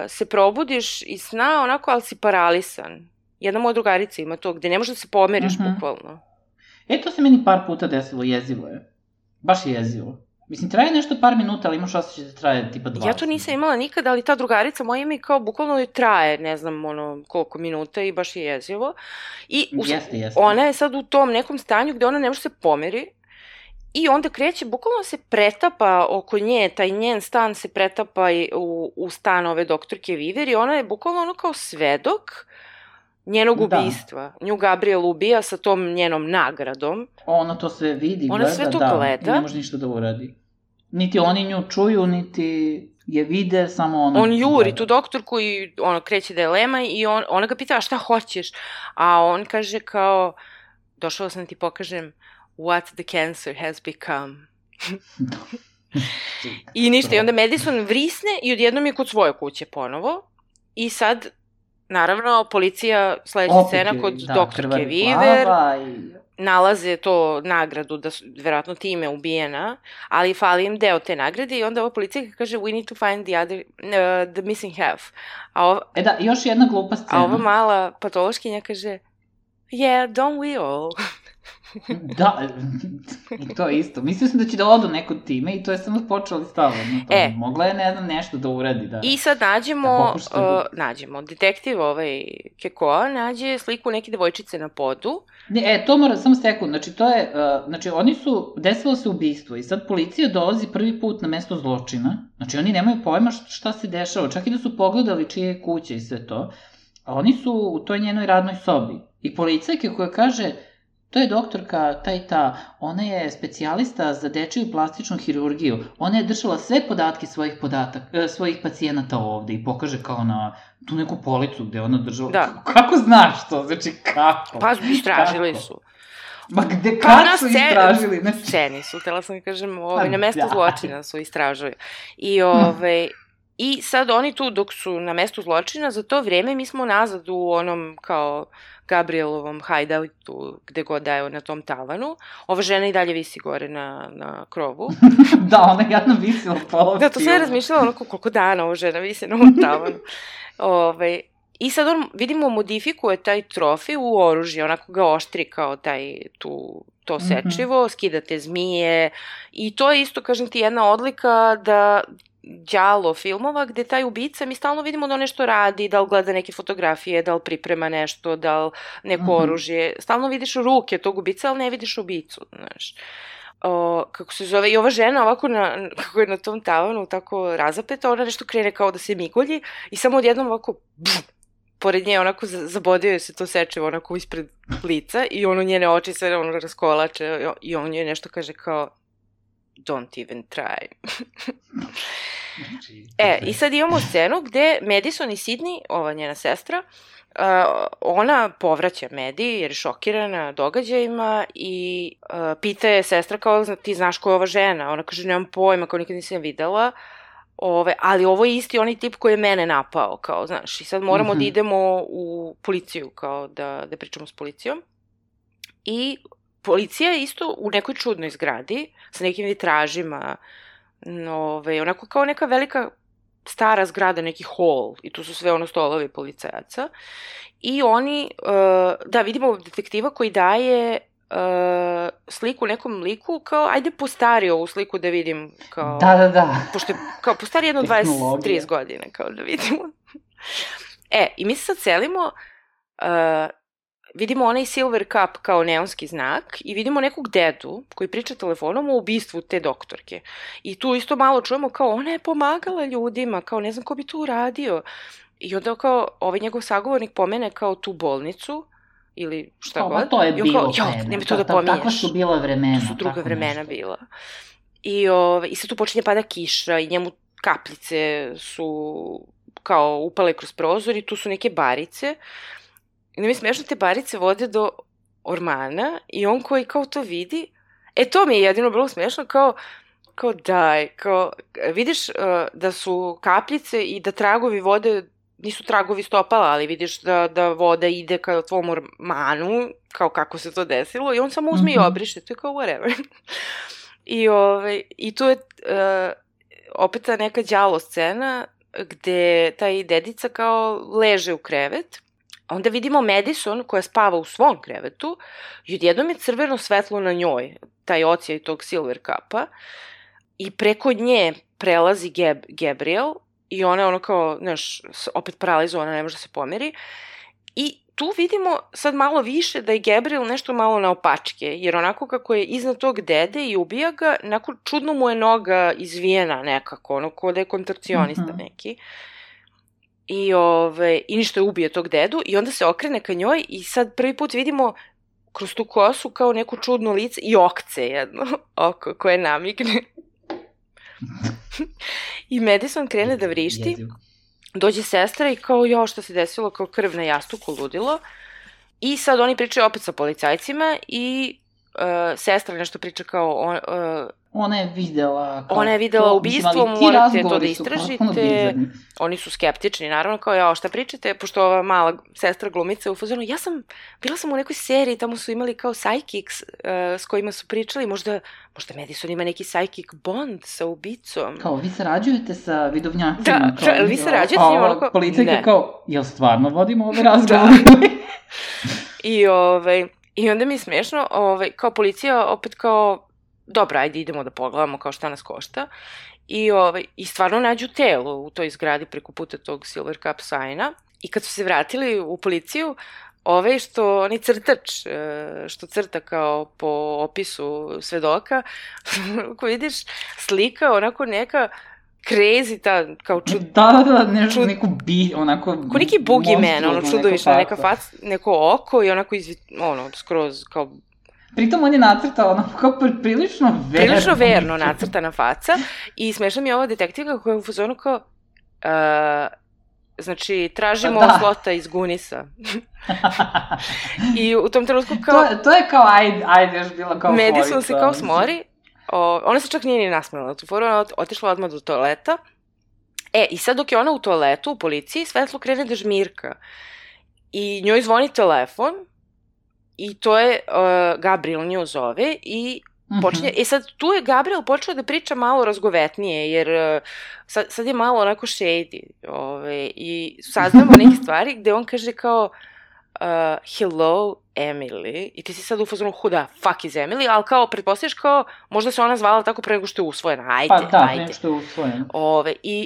se probudiš iz sna onako, ali si paralisan. Jedna moja drugarica ima to, gde ne možeš da se pomeriš bukvalno. To se meni par puta desilo, jezivo je. Baš je jezivo. Mislim, traje nešto par minuta, ali imaš osjećaj da traje tipa 20. Ja to nisam imala nikada, ali ta drugarica moja mi kao bukvalno traje, ne znam, koliko minuta i baš je jezivo. I jeste. Ona je sad u tom nekom stanju gde ona ne može se pomeri. I onda kreće, bukvalno se pretapa oko nje, taj njen stan se pretapa u stan ove doktorke Viver i ona je bukvalno ono kao svedok njenog ubistva. Nju Gabriel ubija sa tom njenom nagradom. Ona to sve vidi, ona sve to gleda. Ne može ništa da uradi. Niti oni nju čuju, niti je vide, samo ona... On juri tu doktorku i ono kreće da je lema i ona ga pita, šta hoćeš? A on kaže kao, došao sam ti pokažem what the cancer has become. I ništa, i onda Madison vrisne i odjednom je kod svoje kuće ponovo. I sad, naravno, policija, sledeća scena kod doktorke Viver, nalaze to nagradu, da su verovatno time ubijena, ali fali im deo te nagrade i onda ova policija kaže we need to find the missing half. Još jedna glupa scena. A ova mala patološkinja kaže yeah, don't we all? Da, i to isto. Mislio sam da će da odu neko time i to je samo počelo stavljeno na to. Mogla je, ne znam, nešto da uradi. I sad nađemo. Detektiv Kekoa nađe sliku neke devojčice na podu. To mora, samo sekund. Znači, oni su, desilo se ubistvo i sad policija dolazi prvi put na mesto zločina. Znači, oni nemaju pojma šta se dešava. Čak i da su pogledali čije je kuća i sve to. A oni su u toj njenoj radnoj sobi. I policajka koja kaže... To je doktorka ta i ta, ona je specijalista za dečiju plastičnu hirurgiju. Ona je držala sve podatke svojih pacijenata ovde i pokaže kao na tu neku policu gde ona držala. Da. Kako znaš to? Znači, kako? Pa, istražili su. Ma gde, kad su istražili? Sceni su, htela sam da kažem, na mestu zločina su istražili. I sad oni tu, dok su na mestu zločina, za to vreme mi smo nazad u onom kao Gabrielovom hideoutu, gde god da je na tom tavanu. Ova žena i dalje visi gore na krovu. Da, ona je jadno visila pola. Da, to sve je razmišljala onako koliko dana ova žena visi na ovom tavanu. I sad on, vidimo, modifikuje taj trofej u oružje, onako ga oštri kao to sečivo, skida te zmije i to je isto, kažem ti, jedna odlika da đalo filmova gde taj ubica, mi stalno vidimo da on nešto radi, da li gleda neke fotografije, da li priprema nešto, da li neko oružje. Stalno vidiš ruke tog ubica, ali ne vidiš ubicu, znaš. Kako se zove, i ova žena ovako, kako je na tom tavanu tako razapeta, ona nešto krene kao da se migolji i samo odjednom ovako, pored nje onako zabodio se to sečivo onako ispred lica i ono njene oči se raskolače i on joj nešto kaže kao don't even try. I sad imamo scenu gde Madison i Sydney, ova njena sestra, ona povraća Medi jer je šokirana događajima i pita je sestra kao ti znaš ko je ova žena? Ona kaže nemam pojma, kao nikad nisam videla, ali ovo je isti onaj tip koji je mene napao, kao znaš, i sad moramo da idemo u policiju, kao da pričamo s policijom. I policija je isto u nekoj čudnoj zgradi, sa nekim vitražima, onako kao neka velika stara zgrada, neki hol, i tu su sve stolovi policajaca. I oni, da, vidimo detektiva koji daje sliku nekom liku, kao, ajde postari ovu sliku da vidim, kao... Da. Pošto je, kao, postari jedno 20-30 godine, kao da vidimo. I mi se sad selimo... vidimo onaj silver cup kao neonski znak i vidimo nekog dedu koji priča telefonom o ubistvu te doktorke. I tu isto malo čujemo kao ona je pomagala ljudima, kao ne znam ko bi to uradio. I onda kao ovaj njegov sagovornik pomene kao tu bolnicu ili šta god. To je bilo vreme. Nema to da pominješ. Takva su bila vremena. To su druga vremena bila. I sad tu počinje pada kiša i njemu kapljice su kao upale kroz prozor i tu su neke barice. I da mi smešno, te barice vode do ormana i on koji kao to vidi, to mi je jedino bilo smešno, kao daj, kao vidiš da su kapljice i da tragovi vode, nisu tragovi stopala, ali vidiš da voda ide ka tvom ormanu, kao kako se to desilo, i on samo uzme i obriše, to je kao whatever. I tu je opet ta neka đavo scena gde taj dedica kao leže u krevet, a onda vidimo Madison koja spava u svom krevetu i odjednom je crveno svetlo na njoj, taj ocijaj tog Silver Cupa, i preko nje prelazi Gabriel i ona je ono kao, znaš, opet paralizovana, ne može da se pomeri. I tu vidimo sad malo više da je Gabriel nešto malo naopačke, jer onako kako je iznad tog dede i ubija ga, onako čudno mu je noga izvijena nekako, ono kao da je kontorcionista neki. I ništa je ubije tog dedu i onda se okrene ka njoj i sad prvi put vidimo kroz tu kosu kao neko čudno lice i okce jedno, oko koje namigne. I Madison krene da vrišti, dođe sestra i kao, jo, šta se desilo, kao krv na jastuku, ludilo. I sad oni pričaju opet sa policajcima i sestra nešto priča kao... Ona je videla... Ona je videla ubistvo, morate to da istražite. Oni su skeptični, naravno, kao, jo, šta pričate, pošto ova mala sestra glumica u fazonu, bila sam u nekoj seriji, tamo su imali kao psychics s kojima su pričali, možda Madison ima neki psychic bond sa ubicom. Kao, vi sarađujete sa vidovnjacima. Da, vi sarađujete s njima, ono kao... Policajka kao, jel stvarno vodimo ove razgovore? I onda mi je smešno, kao policija opet kao, dobro, ajde idemo da pogledamo kao šta nas košta. I stvarno nađu telo u toj zgradi preko puta tog Silver Cup sajna. I kad su se vratili u policiju, onaj crtač, što crta kao po opisu svedoka, ko vidiš, slika onako neka crazy, ta kao nešto, neku onako... Ko neki boogeyman, ono čudovišna neka faca, neko oko i onako skroz kao... Pritom on je nacrtao ono kao prilično verno. Prilično verno nacrtana faca i smešna mi je ova detektivka koja je u fazonu kao... Znači, tražimo slota iz Gunisa. I u tom trenutku kao... To je kao, ajde, još bila kao forica. Madison se kao smori. Ona se čak nije ni nasmela na tu foru, ona otišla odmah do toaleta. I sad dok je ona u toaletu, u policiji, svetlo krene da žmirka. I njoj zvoni telefon i to je Gabriel nju zove i počinje, sad tu je Gabriel počeo da priča malo razgovetnije, jer sad je malo onako shady, i saznamo neke stvari gde on kaže kao hello Emily, i ti si sad u fazonu who the fuck is Emily, ali kao pretpostavljaš kao možda se ona zvala tako pre nego što je usvojena, ajde. Nego što je usvojena.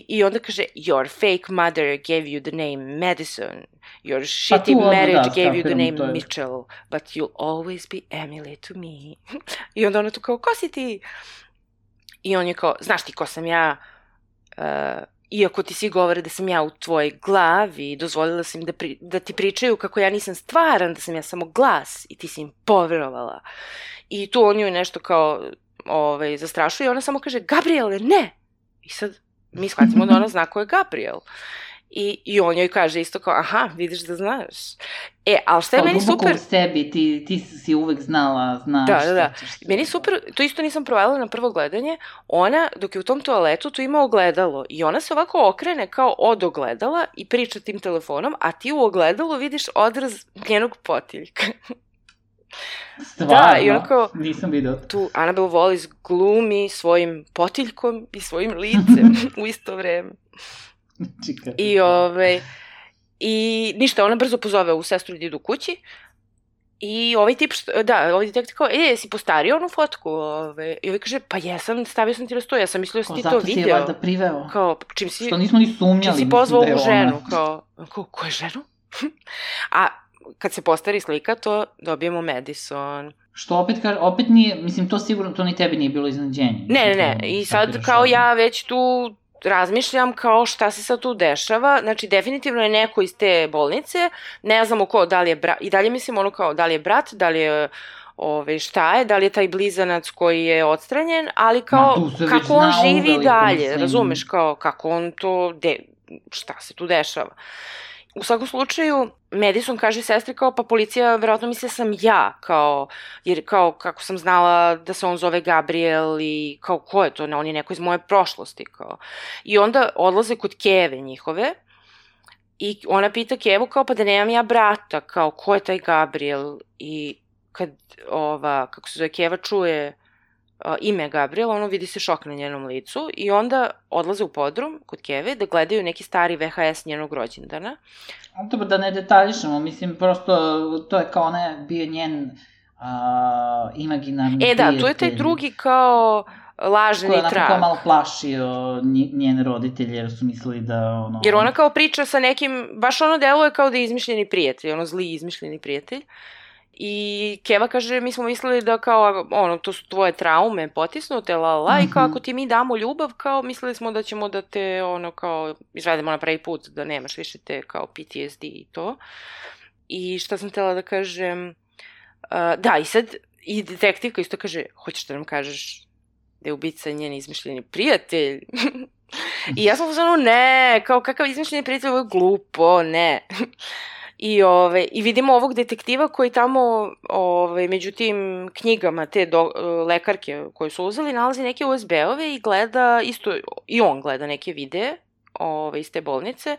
I onda kaže your fake mother gave you the name Madison, your shitty marriage gave you the name Mitchell, but you'll always be Emily to me. I onda ona tu kao, ko si ti? I on je kao, znaš ti ko sam ja? Iako ti svi govore da sam ja u tvojoj glavi, dozvolila sam da ti pričaju kako ja nisam stvaran, da sam ja samo glas i ti si im poverovala. I tu on ju nešto kao zastrašuje i ona samo kaže, Gabriele, ne! I sad mi shvatimo da ona zna ko je Gabriel. I on joj kaže isto kao, aha, vidiš da znaš. Ali šta je meni super... Kao duboko u sebi, ti si uvek znaš. Da. Meni super, to isto nisam provalila na prvo gledanje, ona, dok je u tom toaletu, tu ima ogledalo i ona se ovako okrene kao od ogledala i priča tim telefonom, a ti u ogledalu vidiš odraz njenog potiljka. Stvarno? I onako, nisam vidio. Tu Annabelle Wallis glumi svojim potiljkom i svojim licem u isto vreme. I ništa, ona brzo pozove ovu sestru da idu kući i ovaj tip, ovaj detektiv kao, jesi postario onu fotku? I ovaj kaže, pa jesam, stavio sam ti na sto, ja sam mislio da si ti to video. Zato si je valjda priveo. Kao, što nismo ni sumnjali. Čim si pozvao ovu ženu, kao, ko je ženu? A kad se postari slika, to dobijemo Madison. Što opet nije, mislim, to sigurno, to ni tebi nije bilo iznenađenje. Ne, i sad kao ja već tu razmišljam kao šta se sad tu dešava, znači definitivno je neko iz te bolnice, ne znamo ko, da li je brat, i dalje mislim ono kao da li je brat, da li je šta je, da li je taj blizanac koji je odstranjen, ali kao kako on živi dalje, razumeš, kao kako on to, šta se tu dešava. U svakom slučaju, Madison kaže sestri kao, pa policija verovatno misle sam ja, kao, jer kao kako sam znala da se on zove Gabriel i kao ko je to, on je neko iz moje prošlosti, kao. I onda odlaze kod Keve njihove i ona pita Kevu kao, pa da nemam ja brata, kao ko je taj Gabriel, i kad kako se zove, Keva čuje ime Gabriel, ono vidi se šok na njenom licu i onda odlaze u podrum kod Keve da gledaju neki stari VHS njenog rođendana. Dobro, da ne detaljišemo, mislim, prosto to je kao ona bio njen imaginarni prijatelj. Da, tu je taj drugi kao lažni trag. Koji je onako malo plašio njene roditelje jer su mislili da ono... Jer ona kao priča sa nekim, baš ono deluje kao da je izmišljeni prijatelj, ono zli izmišljeni prijatelj. I Keva kaže, mi smo mislili da kao, to su tvoje traume potisnute, i kao ako ti mi damo ljubav, kao mislili smo da ćemo da te, kao, izvedemo na pravi put, da nemaš više te, kao, PTSD i to. I šta sam htjela da kažem, da, i sad, i detektivka isto kaže, hoćeš da nam kažeš da je ubica njen izmišljeni prijatelj? I ja sam uzmano, ne, kao kakav izmišljeni prijatelj, ovo je glupo, ne. I vidimo ovog detektiva koji tamo među tim knjigama te lekarke koje su uzeli nalazi neke USB-ove i gleda isto, i on gleda neke videe iz te bolnice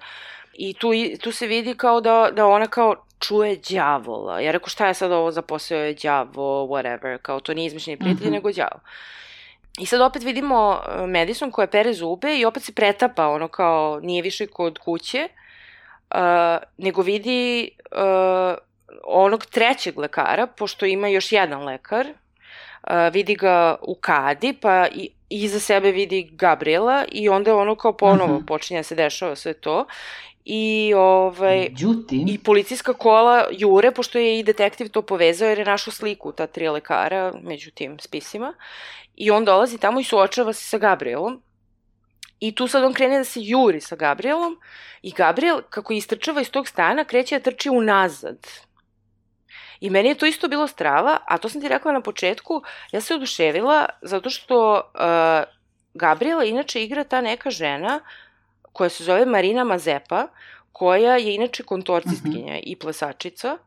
i tu se vidi kao da ona kao čuje đavola. Ja rekao šta je sad ovo za posao, je đavo, whatever, kao to nije izmišljeni prijatelj nego đavo. I sad opet vidimo Madison koja pere zube i opet se pretapa, kao nije više kod kuće, nego vidi onog trećeg lekara, pošto ima još jedan lekar, vidi ga u kadi, pa iza sebe vidi Gabriela i onda kao ponovo počinje da se dešava sve to. I policijska kola jure, pošto je i detektiv to povezao, jer je našao sliku ta 3 lekara među tim spisima. I on dolazi tamo i suočava se sa Gabrielom. I tu sad on krene da se juri sa Gabrielom i Gabriel, kako istrčava iz tog stana, kreće da trči unazad. I meni je to isto bilo strava, a to sam ti rekla na početku, ja se oduševila zato što Gabriela inače igra ta neka žena koja se zove Marina Mazepa, koja je inače kontorcistkinja i plesačica,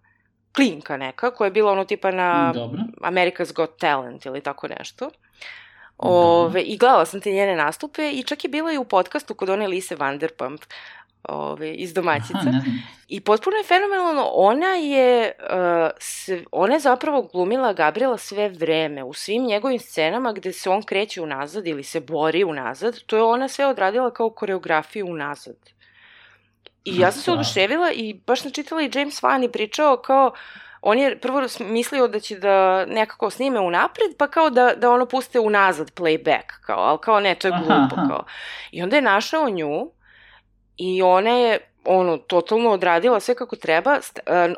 klinka neka, koja je bila tipa na America's Got Talent ili tako nešto. I gledala sam te njene nastupe i čak je bila i u podcastu kod one Lise Vanderpump iz Domaćica. I potpuno je fenomenalno, ona je zapravo glumila Gabriela sve vreme, u svim njegovim scenama gde se on kreće unazad ili se bori unazad, to je ona sve odradila kao koreografiju unazad. I ja sam se oduševila i baš sam čitala i James Wan i pričao kao, on je prvo mislio da će da nekako snime unapred, pa kao da ono puste unazad playback, kao, ali kao ne, to je glupo, kao. I onda je našao nju i ona je, totalno odradila sve kako treba.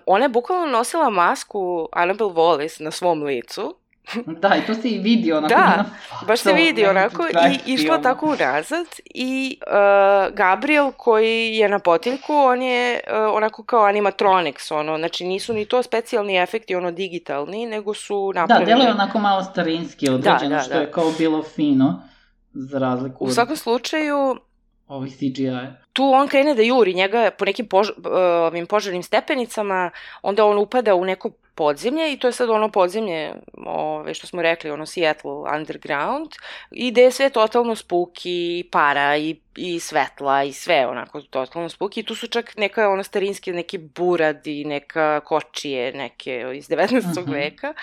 Ona je bukvalno nosila masku Annabelle Wallis na svom licu. Da, i to se i vidi onako. Da, baš se vidi onako i išla tako unazad i Gabriel koji je na potiljku, on je onako kao animatronics, znači nisu ni to specijalni efekti, digitalni, nego su napravili. Da, delo je onako malo starinski određeno, što je kao bilo fino, za razliku u svakom slučaju ovi CGI. Tu on krene da juri njega po nekim požarnim stepenicama, onda on upada u neko podzemlje i to je sad ono podzemlje, što smo rekli, Seattle underground, i gde je sve totalno spooky, para i svetla i sve onako totalno spooky. I tu su čak neka starinske, neki buradi, neka kočije, neke iz 19. veka.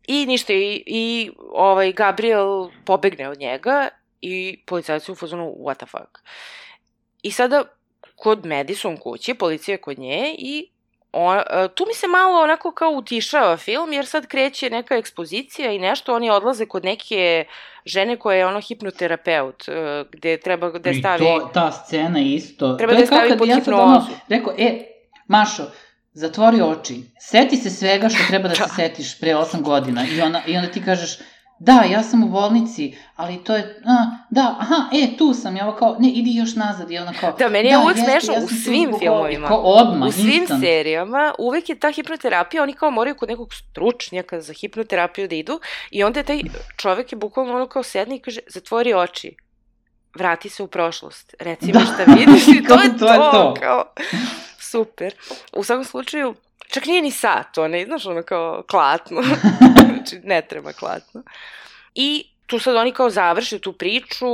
I ništa, i Gabriel pobegne od njega i policajci u fazonu what the fuck. I sada kod Madison kući, policija je kod nje i tu mi se malo onako kao utišava film, jer sad kreće neka ekspozicija i nešto, oni odlaze kod neke žene koja je hipnoterapeut, gde treba da stavi... I ta scena isto... Treba da stavi pod hipnozu. Rekao, Mašo, zatvori oči, seti se svega što treba da se setiš pre 8 godina i onda ti kažeš, da, ja sam u bolnici, ali to je, tu sam, ja kao, ne, idi još nazad, i ona kao, da, meni je uvek smešno u svim filmovima, odmah, u svim serijama, uvek je ta hipnoterapija, oni kao moraju kod nekog stručnjaka za hipnoterapiju da idu, i onda je taj čovek je bukvalno ono kao sedne i kaže, zatvori oči, vrati se u prošlost, reci mi šta vidiš, i to je to, kao, super. U svakom slučaju, čak nije ni sat, ona je, znaš, ono kao klatno, znači ne treba klatno. I tu sad oni kao završe tu priču,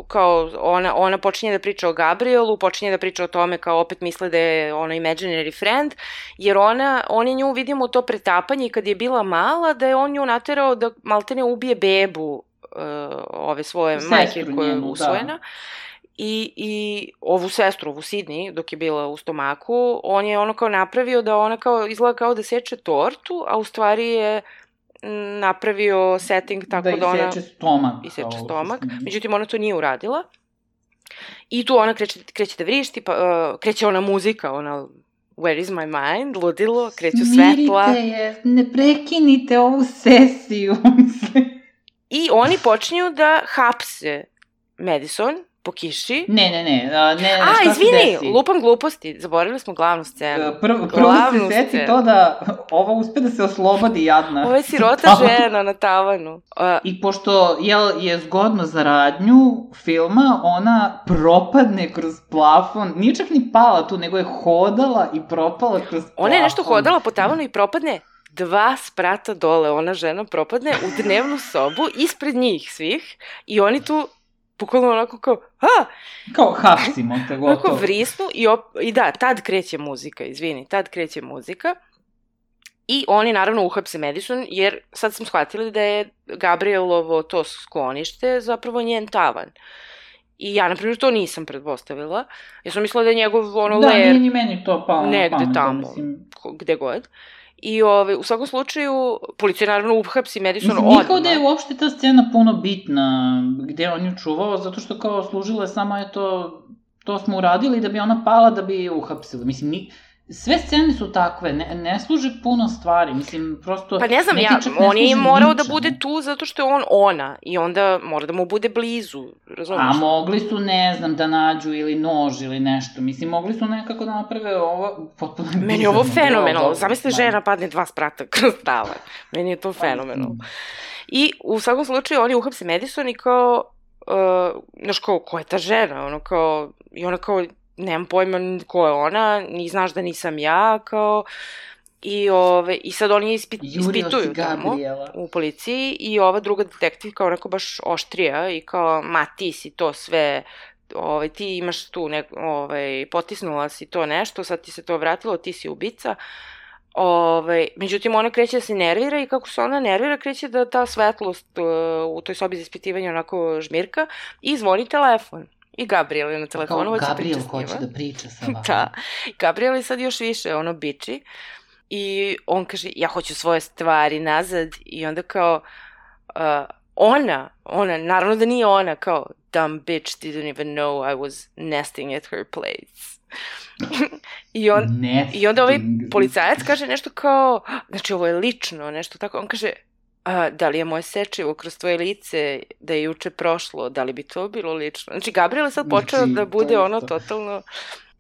kao ona počinje da priča o Gabrielu, počinje da priča o tome kao opet misle da je ono imaginary friend, jer on je nju, vidimo to pretapanje kad je bila mala, da je on nju naterao da maltene ubije bebu ove svoje majke koja je usvojena. I ovu sestru, ovu Sidney, dok je bila u stomaku, on je ono kao napravio da ona kao izgleda kao da seče tortu, a u stvari je napravio setting tako da ona... Da iseče stomak. Iseče stomak, međutim ona to nije uradila. I tu ona kreće da vrišti, pa kreće ona muzika, ona Where is my mind, ludilo, kreću svetla. Smirite je, ne prekinite ovu sesiju. I oni počinju da hapse Madison po kiši. Ne, izvini, lupam gluposti, zaboravili smo glavnu scenu. Prvo se seti to da ova uspe da se oslobodi jadna. Ovo je sirota žena na tavanu. I pošto je zgodno za radnju filma, ona propadne kroz plafon, nije čak ni pala tu, nego je hodala i propala kroz plafon. Ona je nešto hodala po tavanu i propadne 2 sprata dole, ona žena propadne u dnevnu sobu, ispred njih svih, i oni tu bukvalno onako kao, kao hapsimo te gotovo. Onako vrisnu i da, tad kreće muzika. I oni naravno uhapse Madison, jer sad smo shvatili da je Gabrielovo to sklonište zapravo njen tavan. I ja, na primjer, to nisam pretpostavila. Ja sam mislila da je njegov ler... Da, nije ni meni to palo. Negde tamo, gde god. I u svakom slučaju, policija naravno uhapsi Madison odmah. Nikao da je uopšte ta scena puno bitna, gde on ju čuvao, zato što kao služila je samo, to smo uradili da bi ona pala, da bi je uhapsili. Mislim, sve scene su takve, ne služe puno stvari, mislim, prosto... Pa ne znam, on je morao da bude tu zato što je on ona, i onda mora da mu bude blizu, razumiješ? A mogli su, ne znam, da nađu ili nož ili nešto, mislim, mogli su nekako da naprave ovo potpuno... Meni je ovo fenomenalno, zamisli žena padne 2 sprata kroz tavan, meni je to fenomenalno. I u svakom slučaju oni uhapse Madison i kao, znaš kao, ko je ta žena, ono kao, i ona kao, nemam pojma ko je ona, ni znaš da nisam ja, kao, i sad oni ispituju tamo u policiji, i ova druga detektivka onako baš oštrija i kao, ma ti si to sve, ti imaš tu, potisnula si to nešto, sad ti se to vratilo, ti si ubica. Međutim, ona kreće da se nervira, i kako se ona nervira, kreće da ta svetlost u toj sobi za ispitivanje onako žmirka, i zvoni telefon. I Gabriel je na telefonu, hoće priča s njima. Gabriel hoće da priča sa vama. Da, Gabriel je sad još više biči, i on kaže, ja hoću svoje stvari nazad, i onda kao, ona, naravno da nije ona, kao, dumb bitch didn't even know I was nesting at her place. I onda ovaj policajac kaže nešto kao, znači ovo je lično, nešto tako, on kaže, da li je moje sečivo kroz tvoje lice da je juče prošlo, da li bi to bilo lično? Znači, Gabriel je sad počeo da bude totalno...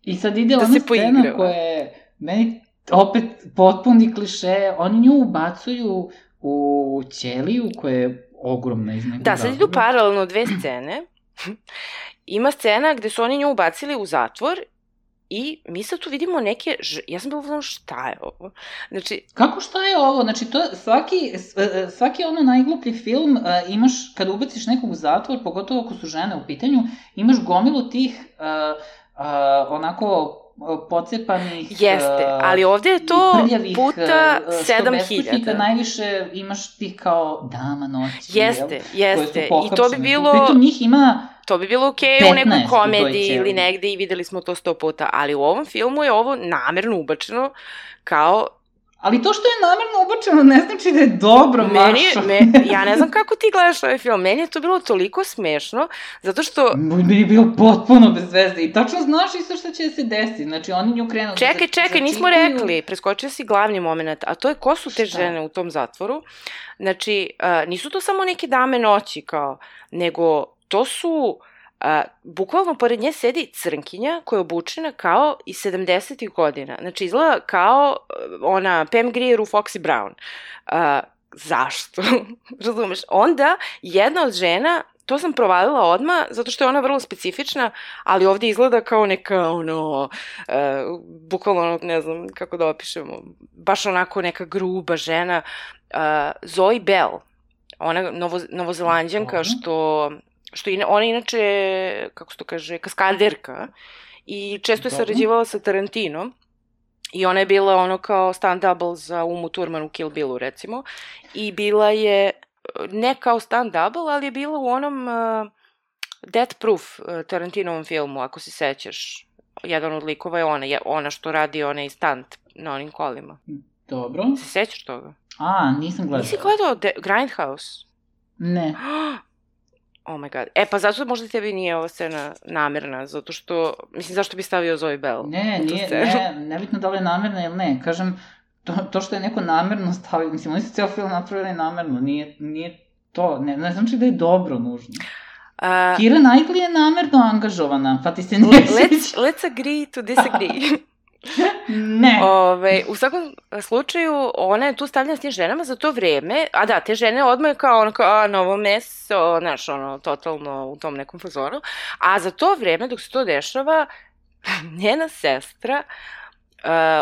I sad ide ona scena koja je meni opet potpuni kliše, oni nju ubacuju u ćeliju koja je ogromna iz nekog Da, sad idu paralelno 2 scene. Ima scena gde su oni nju ubacili u zatvor, i mi sad tu vidimo neke... Ja sam bila uzmano, šta je ovo? Znači... Kako šta je ovo? Znači, to svaki najgluplji film imaš, kada ubaciš nekog u zatvor, pogotovo ako su žene u pitanju, imaš gomilu tih onako pocepanih... Jeste, ali ovde je to puta 7000. Najviše imaš tih kao dama noći. Jeste, i to bi bilo... Pritom njih ima... To bi bilo okej u nekoj komediji ili negde, i videli smo to 100 puta, ali u ovom filmu je ovo namerno ubačeno kao Ali to što je namerno ubačeno ne znači da je dobro, Mašo. Ja ne znam kako ti gledaš ovaj film. Meni je to bilo toliko smešno, zato što... Meni je bilo potpuno bez veze. I tačno znaš isto što će se desiti. Znači, oni nju krenu... Čekaj, nismo rekli. Preskočio si glavni moment. A to je ko su te žene u tom zatvoru. Znači, nisu to samo neke dame noći, kao, nego to su... bukvalno pored nje sedi crnkinja koja je obučena kao iz 70-ih godina. Znači, izgleda kao ona Pam Grier u Foxy Brown. Zašto? Razumeš? Onda, jedna od žena, to sam provalila odmah, zato što je ona vrlo specifična, ali ovdje izgleda kao neka, bukvalno, ne znam kako da opišemo, baš onako neka gruba žena, Zoe Bell, ona novozelanđanka što ona inače, kako se to kaže, kaskaderka i često je sarađivala sa Tarantinom i ona je bila ono kao stand-double za Umu Thurman u Kill Billu, recimo, i bila je, ne kao stand-double, ali je bila u onom Death Proof Tarantinovom filmu, ako se sećaš. Jedan od likova je ona što radi onaj stunt na onim kolima. Dobro. Se sećaš toga? Nisam gledala. Nisi gledao Grindhouse? Ne. Oh my god. Pa zato možda tebi nije ova scena namerna, zato što, mislim, zašto bi stavio Zoe Bell? Nebitno da li je namerna ili ne. Kažem, to što je neko namerno stavio, mislim, oni su cijel film napravili namerno, nije to, ne znači da je dobro nužno. Keira Knightley je namerno angažovana, pa ti se nije sviđa. Let's agree to disagree. Ne. U svakom slučaju, ona je tu stavljena s tim ženama za to vreme, a da, te žene odmah kao novo meso, znaš, totalno u tom nekom fazonu, a za to vreme, dok se to dešava, njena sestra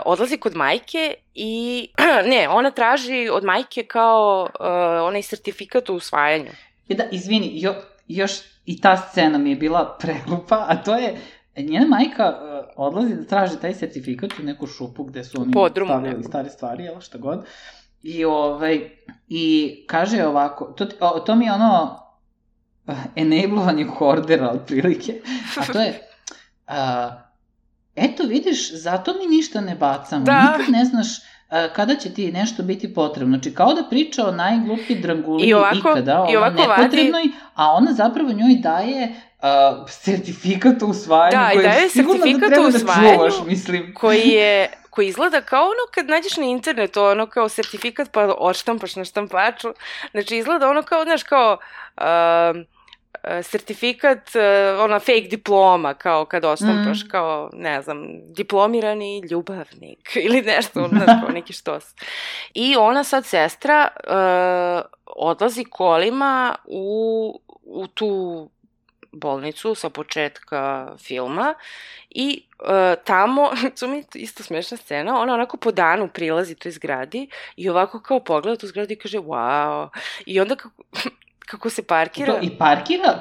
odlazi kod majke i, ona traži od majke kao onaj sertifikat o usvajanju. Da, izvini, još i ta scena mi je bila preglupa, a to je, njena majka odlazi da traži taj sertifikat u neku šupu gde su oni stavljali stare stvari, jel, šta god. I kaže ovako, to mi je enablovanje hordera, otprilike, a to je, eto vidiš, zato mi ništa ne bacamo, nikad ne znaš kada će ti nešto biti potrebno. Znači, kao da priča o najgluplji dranguliji ikada, o nepotrebnoj, a ona zapravo njoj daje sertifikat o usvajanju, koji je sigurno da treba da čuvaš, mislim. Koji izgleda kao kad nađeš na internetu, kao sertifikat pa odštampaš na štampaču. Znači, izgleda kao, znaš, kao sertifikat, fake diploma, kao kad ostampaš, kao, ne znam, diplomirani ljubavnik ili nešto, znaš, kao neki štos. I ona sad, sestra, odlazi kolima u tu bolnicu sa početka filma i tamo, to mi je isto smešna scena, ona onako po danu prilazi toj zgradi i ovako kao pogleda tu zgradu i kaže wow, i onda kako se parkira... I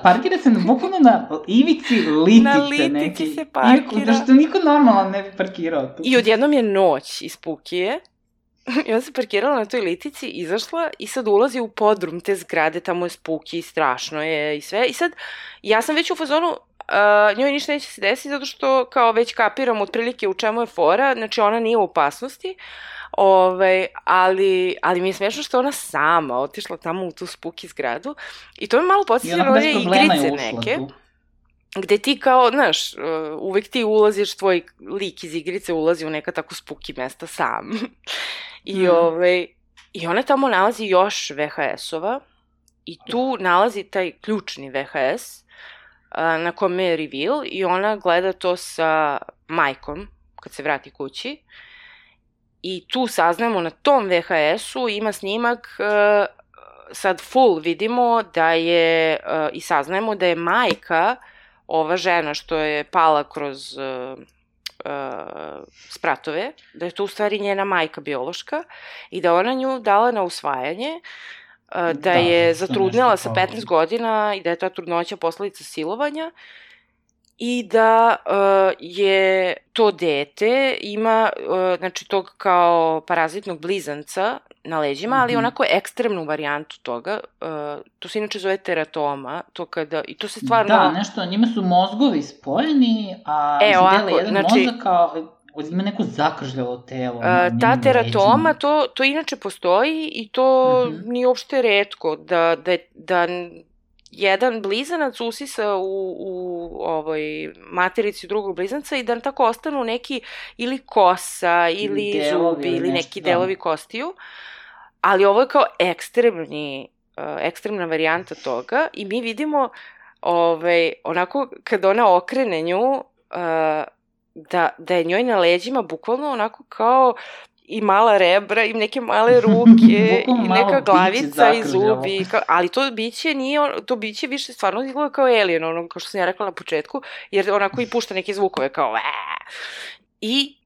parkira se bukvalno na ivici litice. Na litici se parkira. Da što niko normalan ne bi parkirao. I odjednom je noć iz Pukije. I onda se parkirala na toj litici, izašla i sad ulazi u podrum te zgrade, tamo je spooky, strašno je i sve. I sad, ja sam već u fazonu, njoj ništa neće se desiti zato što kao već kapiram otprilike u čemu je fora, znači ona nije u opasnosti, ali mi je smešno što ona sama otišla tamo u tu spooky zgradu i to me malo podsjetilo na igrice neke. Gde ti kao, znaš, uvek ti ulaziš, tvoj lik iz igrice ulazi u neka tako spooky mesta sam. I ona tamo nalazi još VHS-ova i tu nalazi taj ključni VHS na kome je reveal i ona gleda to sa majkom kad se vrati kući. I tu saznamo na tom VHS-u ima snimak, sad full vidimo da je, i saznajemo da je majka, ova žena što je pala kroz spratove, da je to u stvari njena majka biološka i da ona nju dala na usvajanje, da je zatrudnela sa 15 godina i da je ta trudnoća posledica silovanja i da je to dete ima, znači, tog kao parazitnog blizanca na leđima, ali onako ekstremnu varijantu toga. To se inače zove teratoma, to kada, i to se stvarno... Da, nešto, njima su mozgovi spojeni, a dele jedan mozak kao... ima neko zakržljalo telo. Ta teratoma, to inače postoji i to nije uopšte retko, da jedan blizanac usisa u materici drugog blizanca i da tako ostanu neki ili kosa, ili zubi, ili neki delovi kostiju. Ali ovo je kao ekstremna varijanta toga i mi vidimo onako kad ona okrene nju, da je njoj na leđima bukvalno onako kao i mala rebra, i neke male ruke, i neka glavica i zubi, ali to biće nije, to biće više stvarno izgleda kao alien, ono, kao što sam ja rekla na početku, jer onako i pušta neke zvukove kao i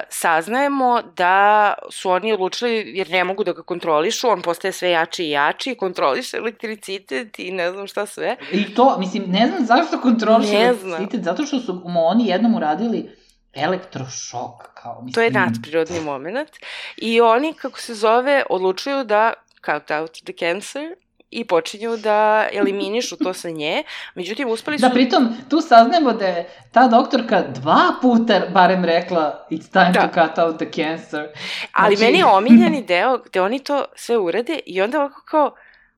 saznajemo da su oni odlučili, jer ne mogu da ga kontrolišu, on postaje sve jači i jači, kontroliše elektricitet i ne znam šta sve. I to, mislim, ne znam zašto kontroliše elektricitet, zato što su mu oni jednom uradili elektrošok, kao mislim. To je nadprirodni moment. I oni, kako se zove, odlučuju da cut out the cancer i počinju da eliminišu to sa nje. Međutim, uspeli su... Da, pritom, tu saznajemo da je ta doktorka 2 puta barem rekla it's time to cut out the cancer. Ali meni je omiljeni deo gde oni to sve urade i onda ovako kao...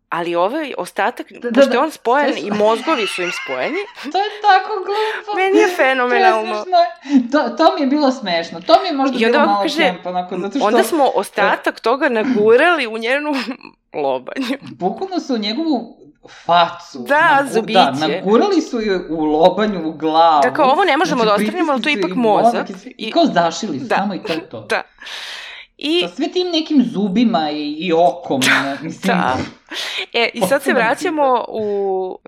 Ali ovaj ostatak, pošto je on spojen i mozgovi su im spojeni. To je tako glupo. Meni je fenomenalno. To mi je bilo smešno. To mi je možda bilo malo kemp, onako, zato što... Onda smo ostatak toga nagurali u njenu lobanju. Bukvalno su u njegovu facu. Da, zubiće. Da, nagurali su ju u lobanju, u glavu. Da, kao ovo ne možemo da ostranimo, ali to je ipak mozak. I kao zašili su, samo i to. Da. Sa sve tim nekim zubima i okom. Mislim, da. I sad se vraćamo u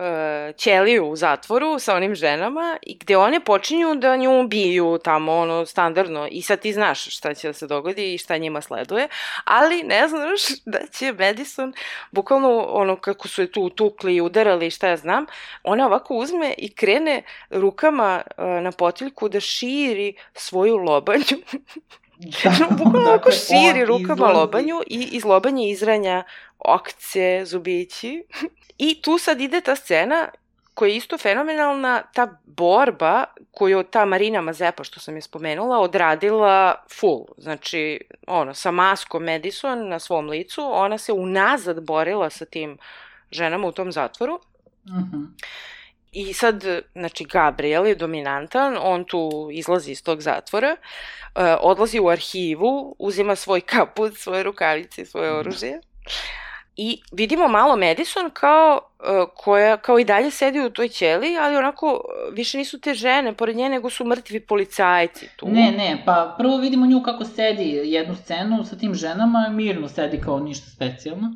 ćeliju u zatvoru sa onim ženama, gde one počinju da nju ubiju tamo, standardno. I sad ti znaš šta će da se dogodi i šta njima sleduje, ali ne znaš da će Madison, bukvalno kako su je tu tukli i udarali i šta ja znam, ona ovako uzme i krene rukama na potiljku da širi svoju lobanju. Bukvalno ovako širi rukama lobanju i iz lobanje izranja okce, zubići. I tu sad ide ta scena koja je isto fenomenalna, ta borba koju ta Marina Mazepa, što sam je spomenula, odradila full. Znači, sa maskom Madison na svom licu, ona se unazad borila sa tim ženama u tom zatvoru. I sad, znači, Gabriel je dominantan, on tu izlazi iz tog zatvora, odlazi u arhivu, uzima svoj kaput, svoje rukavice i svoje oružje. I vidimo malo Madison koja i dalje sedi u toj ćeliji, ali onako više nisu te žene pored nje, nego su mrtvi policajci tu. Ne, pa prvo vidimo nju kako sedi jednu scenu sa tim ženama, mirno sedi kao ništa specijalno.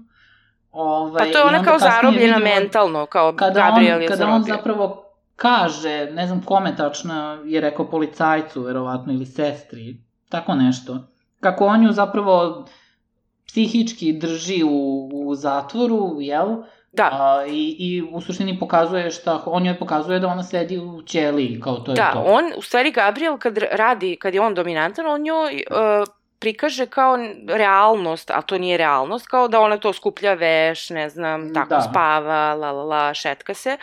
Pa to je ona kao zarobljena mentalno, kao Gabriel je zarobio. Kada on zapravo kaže, ne znam kome tačno je rekao policajcu, verovatno, ili sestri, tako nešto. Kako on ju zapravo psihički drži u zatvoru, jel? Da. I u suštini pokazuje on joj pokazuje da ona sedi u ćeliji, kao to je to. Da, on, u stvari Gabriel kad je on dominantan, on njoj prikaže kao realnost, a to nije realnost, kao da ona to skuplja veš, ne znam, tako spava, šetka se.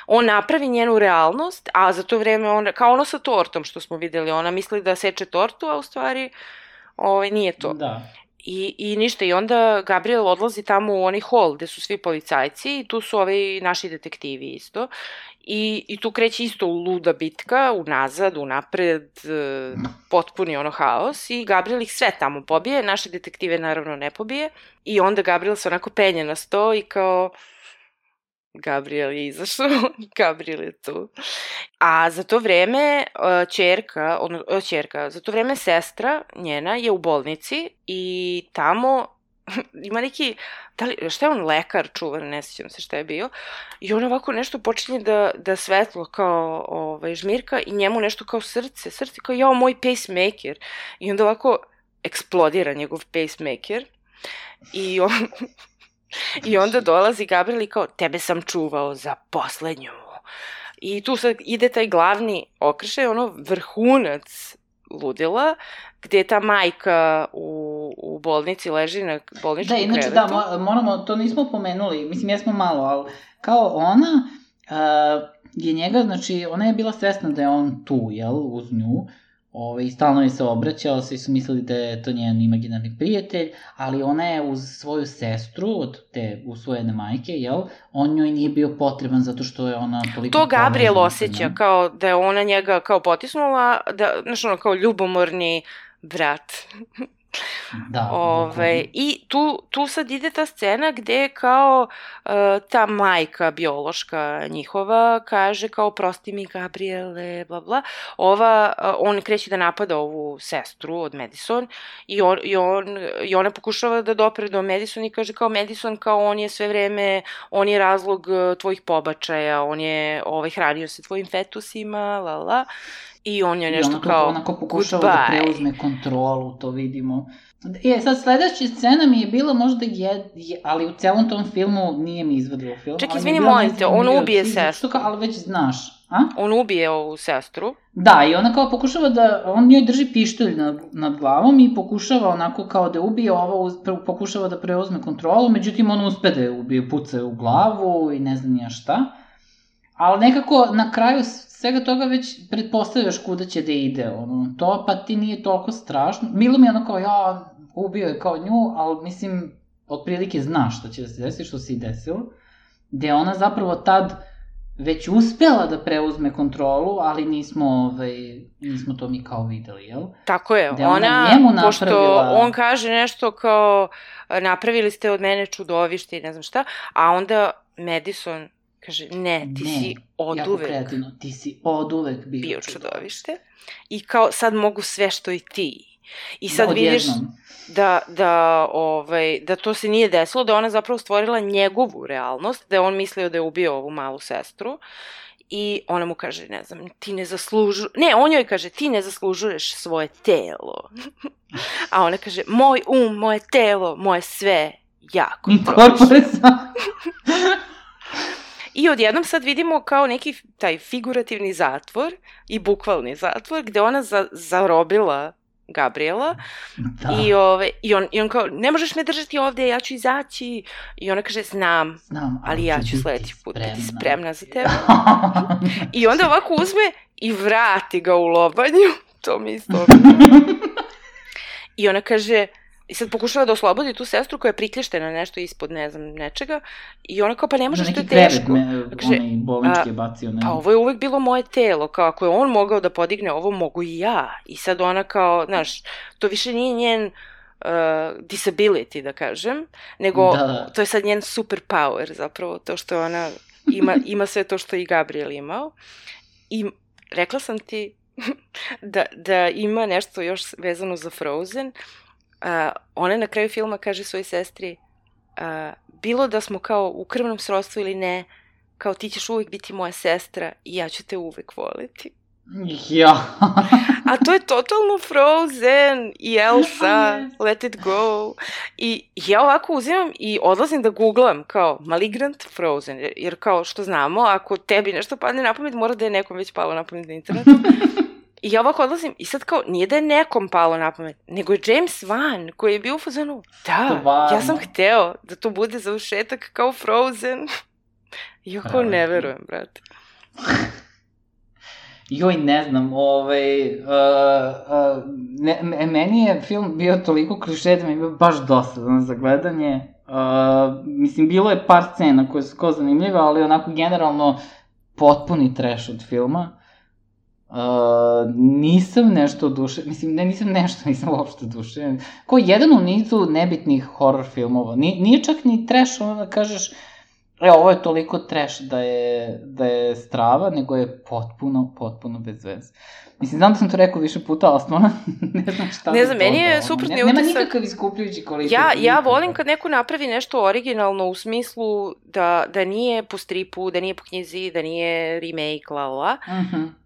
On napravi njenu realnost, a za to vreme, kao ono sa tortom što smo videli, ona misli da seče tortu, a u stvari nije to. Da. I ništa, i onda Gabriel odlazi tamo u onaj hol gde su svi policajci i tu su ovi naši detektivi isto. I tu kreće isto luda bitka, unazad, unapred, potpuni haos i Gabriel ih sve tamo pobije, naše detektive naravno ne pobije i onda Gabriel se onako penje na sto i kao Gabriel je izašao, Gabriel je tu. A za to vreme za to vreme sestra njena je u bolnici i tamo ima neki, šta je on, lekar čuvan, ne sjećam se šta je bio, i on ovako nešto počinje da svetlo kao žmirka i njemu nešto kao srce kao jao, moj pacemaker. I onda ovako eksplodira njegov pacemaker i onda dolazi Gabriel i kao, tebe sam čuvao za poslednju. I tu sad ide taj glavni okršaj, vrhunac ludila, gde je ta majka u bolnici leži na bolničkom krevetu. Da, inače moramo, to nismo pomenuli, mislim jesmo malo, ali kao ona je njega, znači ona je bila svesna da je on tu, jel, uz nju, I stalno je se obraćao, svi su mislili da je to njen imaginarni prijatelj, ali ona je uz svoju sestru, od te usvojene majke, on njoj nije bio potreban zato što je ona toliko to Gabriel osjeća, kao da je ona njega kao potisnula, znaš ono, kao ljubomorni brat. Da. I tu sad ide ta scena gde kao ta majka biološka njihova kaže kao prosti mi Gabriele, bla bla. On kreće da napada ovu sestru od Madison i ona pokušava da dopre do Madison i kaže kao Madison, kao on je sve vreme, on je razlog tvojih pobačaja, on je hranio se tvojim fetusima, la la. I on je nešto kao onako pokušava da preuzme kontrolu, to vidimo. Sad sledeća scena mi je bila možda ali u celom tom filmu nije mi izvadilo film. Ček, izvini, molim te, on ubije sestru. Ali već znaš, a? On ubije ovu sestru. Da, i ona kao pokušava on njoj drži pištolj nad glavom i pokušava onako kao da ubije pokušava da preuzme kontrolu, međutim on uspe da je ubije, puca u glavu i ne znam nija šta. Ali nekako na kraju svega toga već pretpostavljaš kuda će da ide, to pa ti nije toliko strašno. Bilo mi je kao, ubio je kao nju, ali mislim, otprilike znaš što će da se desi, što se i desilo, gde ona zapravo tad već uspela da preuzme kontrolu, ali nismo to mi kao videli, jel? Tako je, pošto on kaže nešto kao, napravili ste od mene čudovište i ne znam šta, a onda Madison kaže, ne, ti si oduvek kreativno, ti si oduvek bio čudovište i kao sad mogu sve što i ti. I sad vidiš da to se nije desilo, da ona zapravo stvorila njegovu realnost, da je on mislio da je ubio ovu malu sestru i ona mu kaže, ne znam, on joj kaže, ti ne zaslužuješ svoje telo. A ona kaže, moj moje telo, moje sve, ja kontrolišem. I odjednom sad vidimo kao neki taj figurativni zatvor i bukvalni zatvor gde ona zarobila Gabriela i on kao, ne možeš me držati ovde, ja ću izaći. I ona kaže, znam, ali ja ću sledeći put biti spremna za tebe. I onda ovako uzme i vrati ga u lobanju. To mi isto. I ona kaže, i sad pokušava da oslobodi tu sestru koja je priklješćena nešto ispod, ne znam, nečega. I ona kao, pa ne možeš, to je teško. Onaj bolnički je bacio. Pa ovo je uvek bilo moje telo, kao ako je on mogao da podigne ovo, mogu i ja. I sad ona kao, znaš, to više nije njen disability, da kažem, nego to je sad njen superpower, zapravo, to što ona ima sve to što i Gabriel imao. I rekla sam ti da ima nešto još vezano za Frozen. Ona na kraju filma kaže svojoj sestri, bilo da smo kao u krvnom srodstvu ili ne, kao ti ćeš uvek biti moja sestra i ja ću te uvek voliti. Ja. A to je totalno Frozen i Elsa, Let it go. I ja ovako uzimam i odlazim da googlam kao Malignant Frozen, jer kao što znamo, ako tebi nešto padne na pamet, mora da je nekom već palo na pamet na internetu. I ja ovako odlazim i sad kao, nije da je nekom palo na pamet, nego je James Wan koji je bio u fazonu, ja sam hteo da to bude završetak kao Frozen. I ako ne verujem, brate. Joj, ne znam, meni je film bio toliko kliše da mi je bio baš dosadan za gledanje. Mislim, bilo je par scena koje su kao zanimljive, ali onako generalno potpuni trash od filma. Nisam nešto oduševljen, mislim, nisam uopšte oduševljen. Kao jedan u nizu nebitnih horror filmova. Nije čak ni trash, ono da kažeš, ovo je toliko trash da je strava, nego je potpuno bez veze. Mislim, znam da sam to rekao više puta, ali stvarno ne znam šta. Ne znam, meni je suprotni utisak. Nema nikakav iskupljujući kvalitet. Ja volim kad neko napravi nešto originalno u smislu da nije po stripu, da nije po knjizi, da nije remake, la.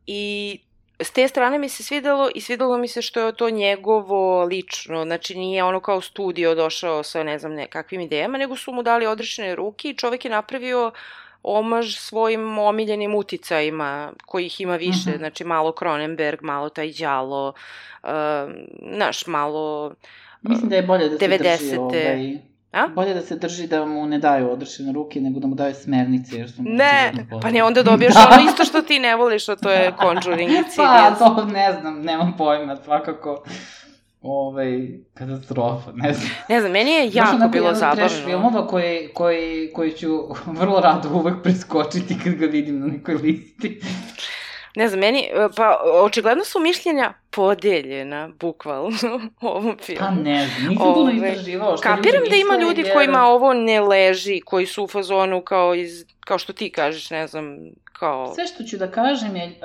I s te strane mi se svidelo i svidelo mi se što je to njegovo lično, znači nije ono kao studio došao sa ne znam nekakvim idejama, nego su mu dali odrešene ruke i čovek je napravio omaž svojim omiljenim uticajima, kojih ima više, znači malo Cronenberg, malo taj đalo, malo mislim da je bolje da se drži A? Bolje da se drži da mu ne daju odrešene ruke, nego da mu daju smernice, jer su mu... Ne, pa ne, onda dobiješ ono isto što ti ne voliš, a to je Conjuring Insidious. Pa, to ne znam, nemam pojma, svakako... katastrofa, ne znam. Ne znam, meni je jako bilo zabavno. Trash filmova koji ću vrlo rado uvek preskočiti kad ga vidim na nekoj listi. Ne znam, pa očigledno su mišljenja podeljena, bukvalno, u ovom filmu. Pa ne znam, nisam puno istraživao što ljudi misle. Kapiram da ima ljudi kojima ovo ne leži, koji su u fazonu kao što ti kažeš, ne znam, kao... Sve što ću da kažem je,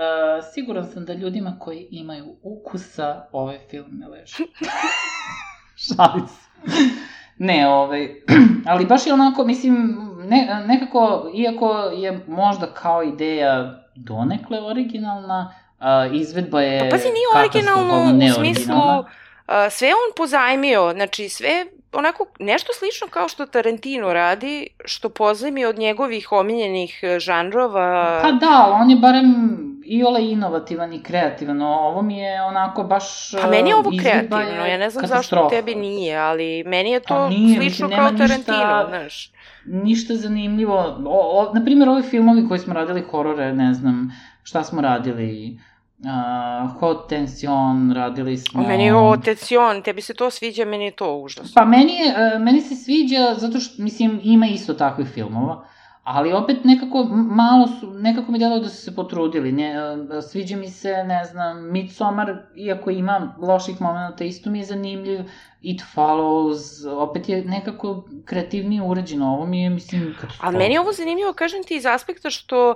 siguran sam da ljudima koji imaju ukusa, ovaj film ne leži. Šalim se. Ne, ali baš je onako, mislim, nekako, iako je možda kao ideja donekle originalna, izvedba je pazi, nije originalno u smislu, sve on pozajmio, znači sve onako nešto slično kao što Tarantino radi, što pozajmio od njegovih omiljenih žanrova. Pa da, on je barem iole inovativan i kreativan, ovo mi je onako baš pa meni je ovo kreativno, ja ne znam zašto tebi nije, ali meni je to slično kao Tarantino, znaš. Ništa zanimljivo, naprimjer ovi filmovi koji smo radili horore, ne znam, šta smo radili, Haute Tension, radili smo... Meni je Haute Tension, tebi se to sviđa, meni je to užasno. Pa meni se sviđa zato što, mislim, ima isto takvih filmova, ali opet nekako mi delo da su se potrudili. Sviđa mi se, ne znam, Midsommar, iako ima loših momenta, isto mi je zanimljiv. It Follows, opet je nekako kreativnije urađeno. Ovo mi je, mislim, katastrofa. Ali meni je ovo zanimljivo, kažem ti, iz aspekta što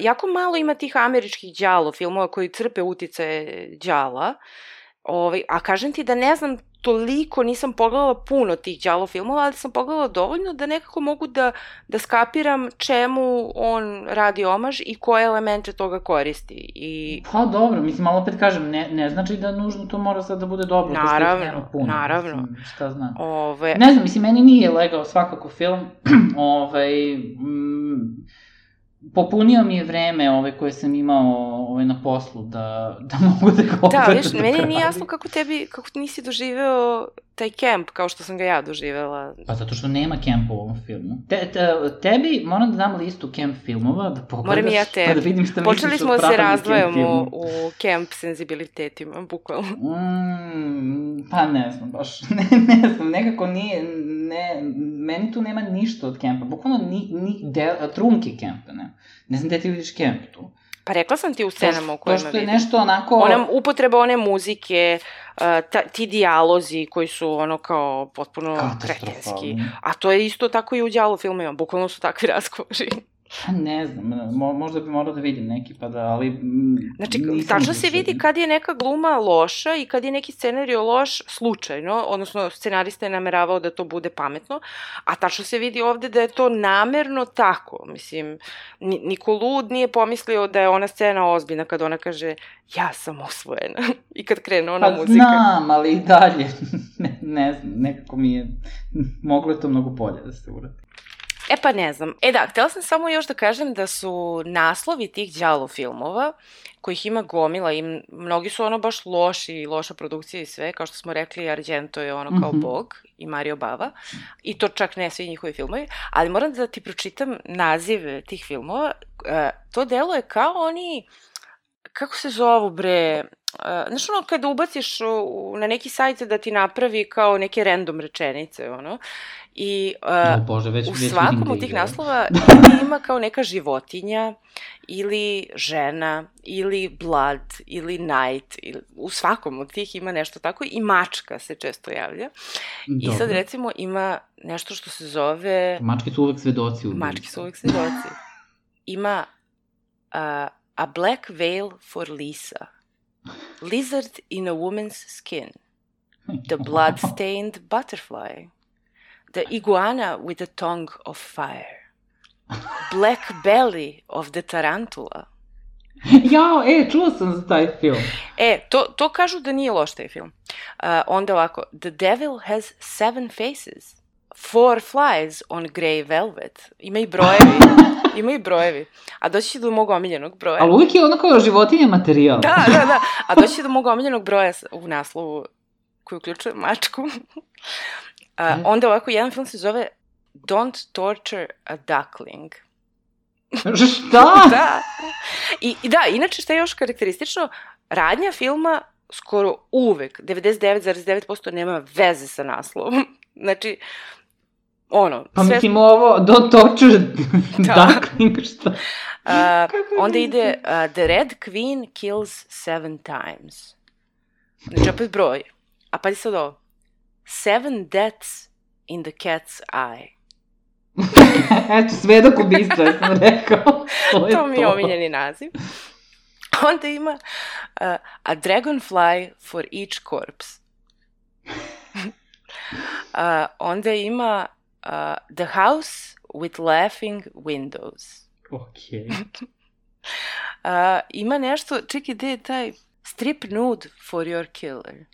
jako malo ima tih američkih đalo filmova koji crpe uticaje đala. A kažem ti da ne znam toliko, nisam pogledala puno tih đalo filmova, ali sam pogledala dovoljno da nekako mogu da skapiram čemu on radi omaž i koje elemente toga koristi. Pa dobro, mislim, ali opet kažem, ne znači da nužno to mora sad da bude dobro. Naravno. Šta znam. Ne znam, mislim, meni nije legao svakako film. Popunio mi je vreme koje sam imao na poslu da mogu da ga opet da, viš, meni nije jasno kako nisi doživeo taj kemp kao što sam ga ja doživela. Pa zato što nema kempa u ovom filmu. Tebi moram da dam listu kemp filmova, da pogledaš, moram i ja tebi. Pa da vidim šta misliš o počeli smo da se razdvajamo u kemp senzibilitetima, bukvalno. Pa ne znam, baš, ne znam, nekako nije, meni tu nema ništa od kempa, bukvalno trunke kempa, ne znam gde ti vidiš kemp tu. Pa rekla sam ti u scenama u kojima vidim. To što je nešto onako... Upotreba one muzike, ti dijalozi koji su ono kao potpuno kretenski. A to je isto tako i u đalo filmima, bukvalno su takvi razgovori. Ne znam, možda bi morao da vidim neki, pa da, ali... Znači, tačno se vidi kad je neka gluma loša i kad je neki scenario loš slučajno, odnosno scenarista je nameravao da to bude pametno, a tačno se vidi ovde da je to namerno tako. Mislim, niko lud nije pomislio da je ona scena ozbiljna kad ona kaže ja sam osvojena i kad krene ona muzika. Pa znam, ali i dalje, ne znam, nekako mi je, moglo je to mnogo bolje da se uradi. Pa ne znam. Da, htela sam samo još da kažem da su naslovi tih đalo filmova, kojih ima gomila i mnogi su ono baš loši, loša produkcija i sve, kao što smo rekli, Argento je ono kao bog i Mario Bava, i to čak ne svi njihovi filmovi, ali moram da ti pročitam nazive tih filmova. To delo je kao oni, kako se zovu bre, znaš ono kada ubaciš na neki sajt da ti napravi kao neke random rečenice, ono, i u svakom od tih naslova ima kao neka životinja ili žena ili blood ili night, u svakom od tih ima nešto tako, i mačka se često javlja. I sad recimo ima nešto što se zove... Mačke su uvek svedoci. Ima a black veil for Lisa, lizard in a woman's skin, the blood-stained butterfly, the iguana with a tongue of fire, black belly of the tarantula. Jao, čuo sam za taj film. To kažu da nije loš taj film. Onda ovako, the devil has 7 faces, 4 flies on grey velvet. Ima i brojevi. A doći će do mog omiljenog broja. Ali uvijek je ono kao životinje materijal. Da. A doći će do mog omiljenog broja u naslovu koji uključuje mačku. Onda ovako, jedan film se zove Don't Torture a Duckling. Šta? Da. I da, inače šta je još karakteristično, radnja filma skoro uvek, 99,9% nema veze sa naslovom. Znači, Pa mislim ovo, Don't Torture Duckling, šta? Onda ide The Red Queen Kills 7 Times. Znači, opet broj. A pa sad ovo. 7 Deaths in the Cat's Eye. Eto, svedok ubistva, ja sam rekao. To mi je omiljeni naziv. Onda ima A Dragonfly for Each Corpse. Onda ima The House with Laughing Windows. Okej. Ima nešto, čekaj, gde je taj Strip Nude for Your Killer.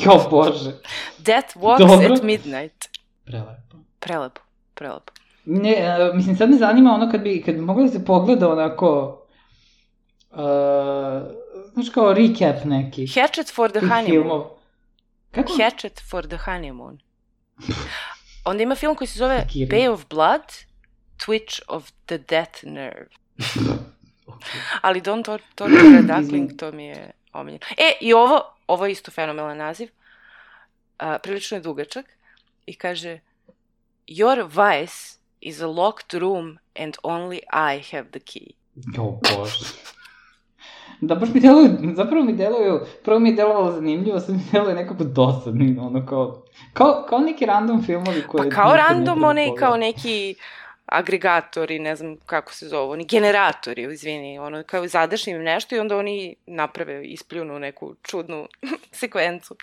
Jo, Bože. Death Walks at Midnight. Prelepo. Ne, mislim, sad me zanima ono kad bi mogla da se pogleda onako, znaš kao recap neki. Hatchet for the Honeymoon. Filmov. Kako? Hatchet for the Honeymoon. Onda ima film koji se zove Bay of Blood, Twitch of the Death Nerve. Ali Don't Torture a Duckling, to mi je omiljeno. I ovo je isto fenomenalan naziv. Prilično je dugačak. I kaže, Your vice is a locked room and only I have the key. Jo, Bože. Da, baš mi deluju, zapravo mi deluju, prvo mi je delovalo zanimljivo, sad mi deluje nekako dosadni, ono kao neki random filmovi koje... Pa kao random, one kao neki agregatori, ne znam kako se zove, oni generatori, izvini, ono kao zadaš im nešto i onda oni naprave, ispljunu neku čudnu sekvencu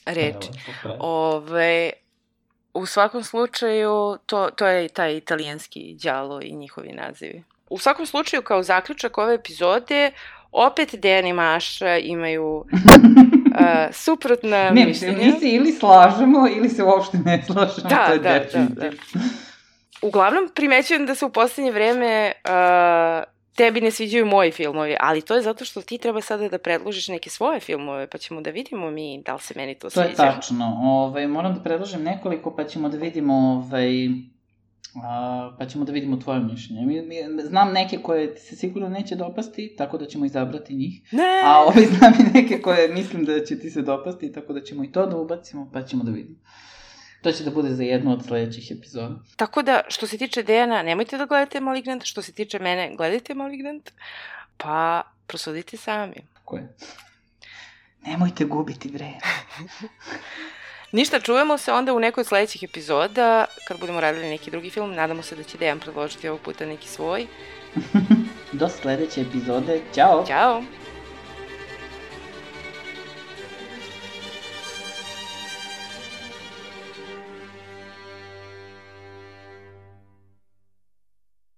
reči. U svakom slučaju, to je taj italijanski đalo i njihovi nazivi. U svakom slučaju, kao zaključak ove epizode, opet Dejan i Maša imaju suprotna mišljenja. Mi se ili slažemo, ili se uopšte ne slažemo. Da. Uglavnom, primećujem da se u poslednje vreme tebi ne sviđaju moji filmovi, ali to je zato što ti treba sada da predložiš neke svoje filmove, pa ćemo da vidimo mi da li se meni to sviđa. To je tačno. Moram da predložim nekoliko, pa ćemo da vidimo tvoje mišljenje. Znam neke koje ti se sigurno neće dopasti, tako da ćemo izabrati njih. Ne! A znam i neke koje mislim da će ti se dopasti, tako da ćemo i to da ubacimo, pa ćemo da vidimo. To će da bude za jednu od sledećih epizoda. Tako da, što se tiče Dejana, nemojte da gledate Malignant, što se tiče mene, gledajte Malignant, pa prosudite sami. Tako je. Nemojte gubiti vreme. Ništa, čujemo se onda u nekoj od sledećih epizoda, kad budemo radili neki drugi film. Nadamo se da će Dejan predložiti ovog puta neki svoj. Do sledeće epizode. Ćao! Ćao!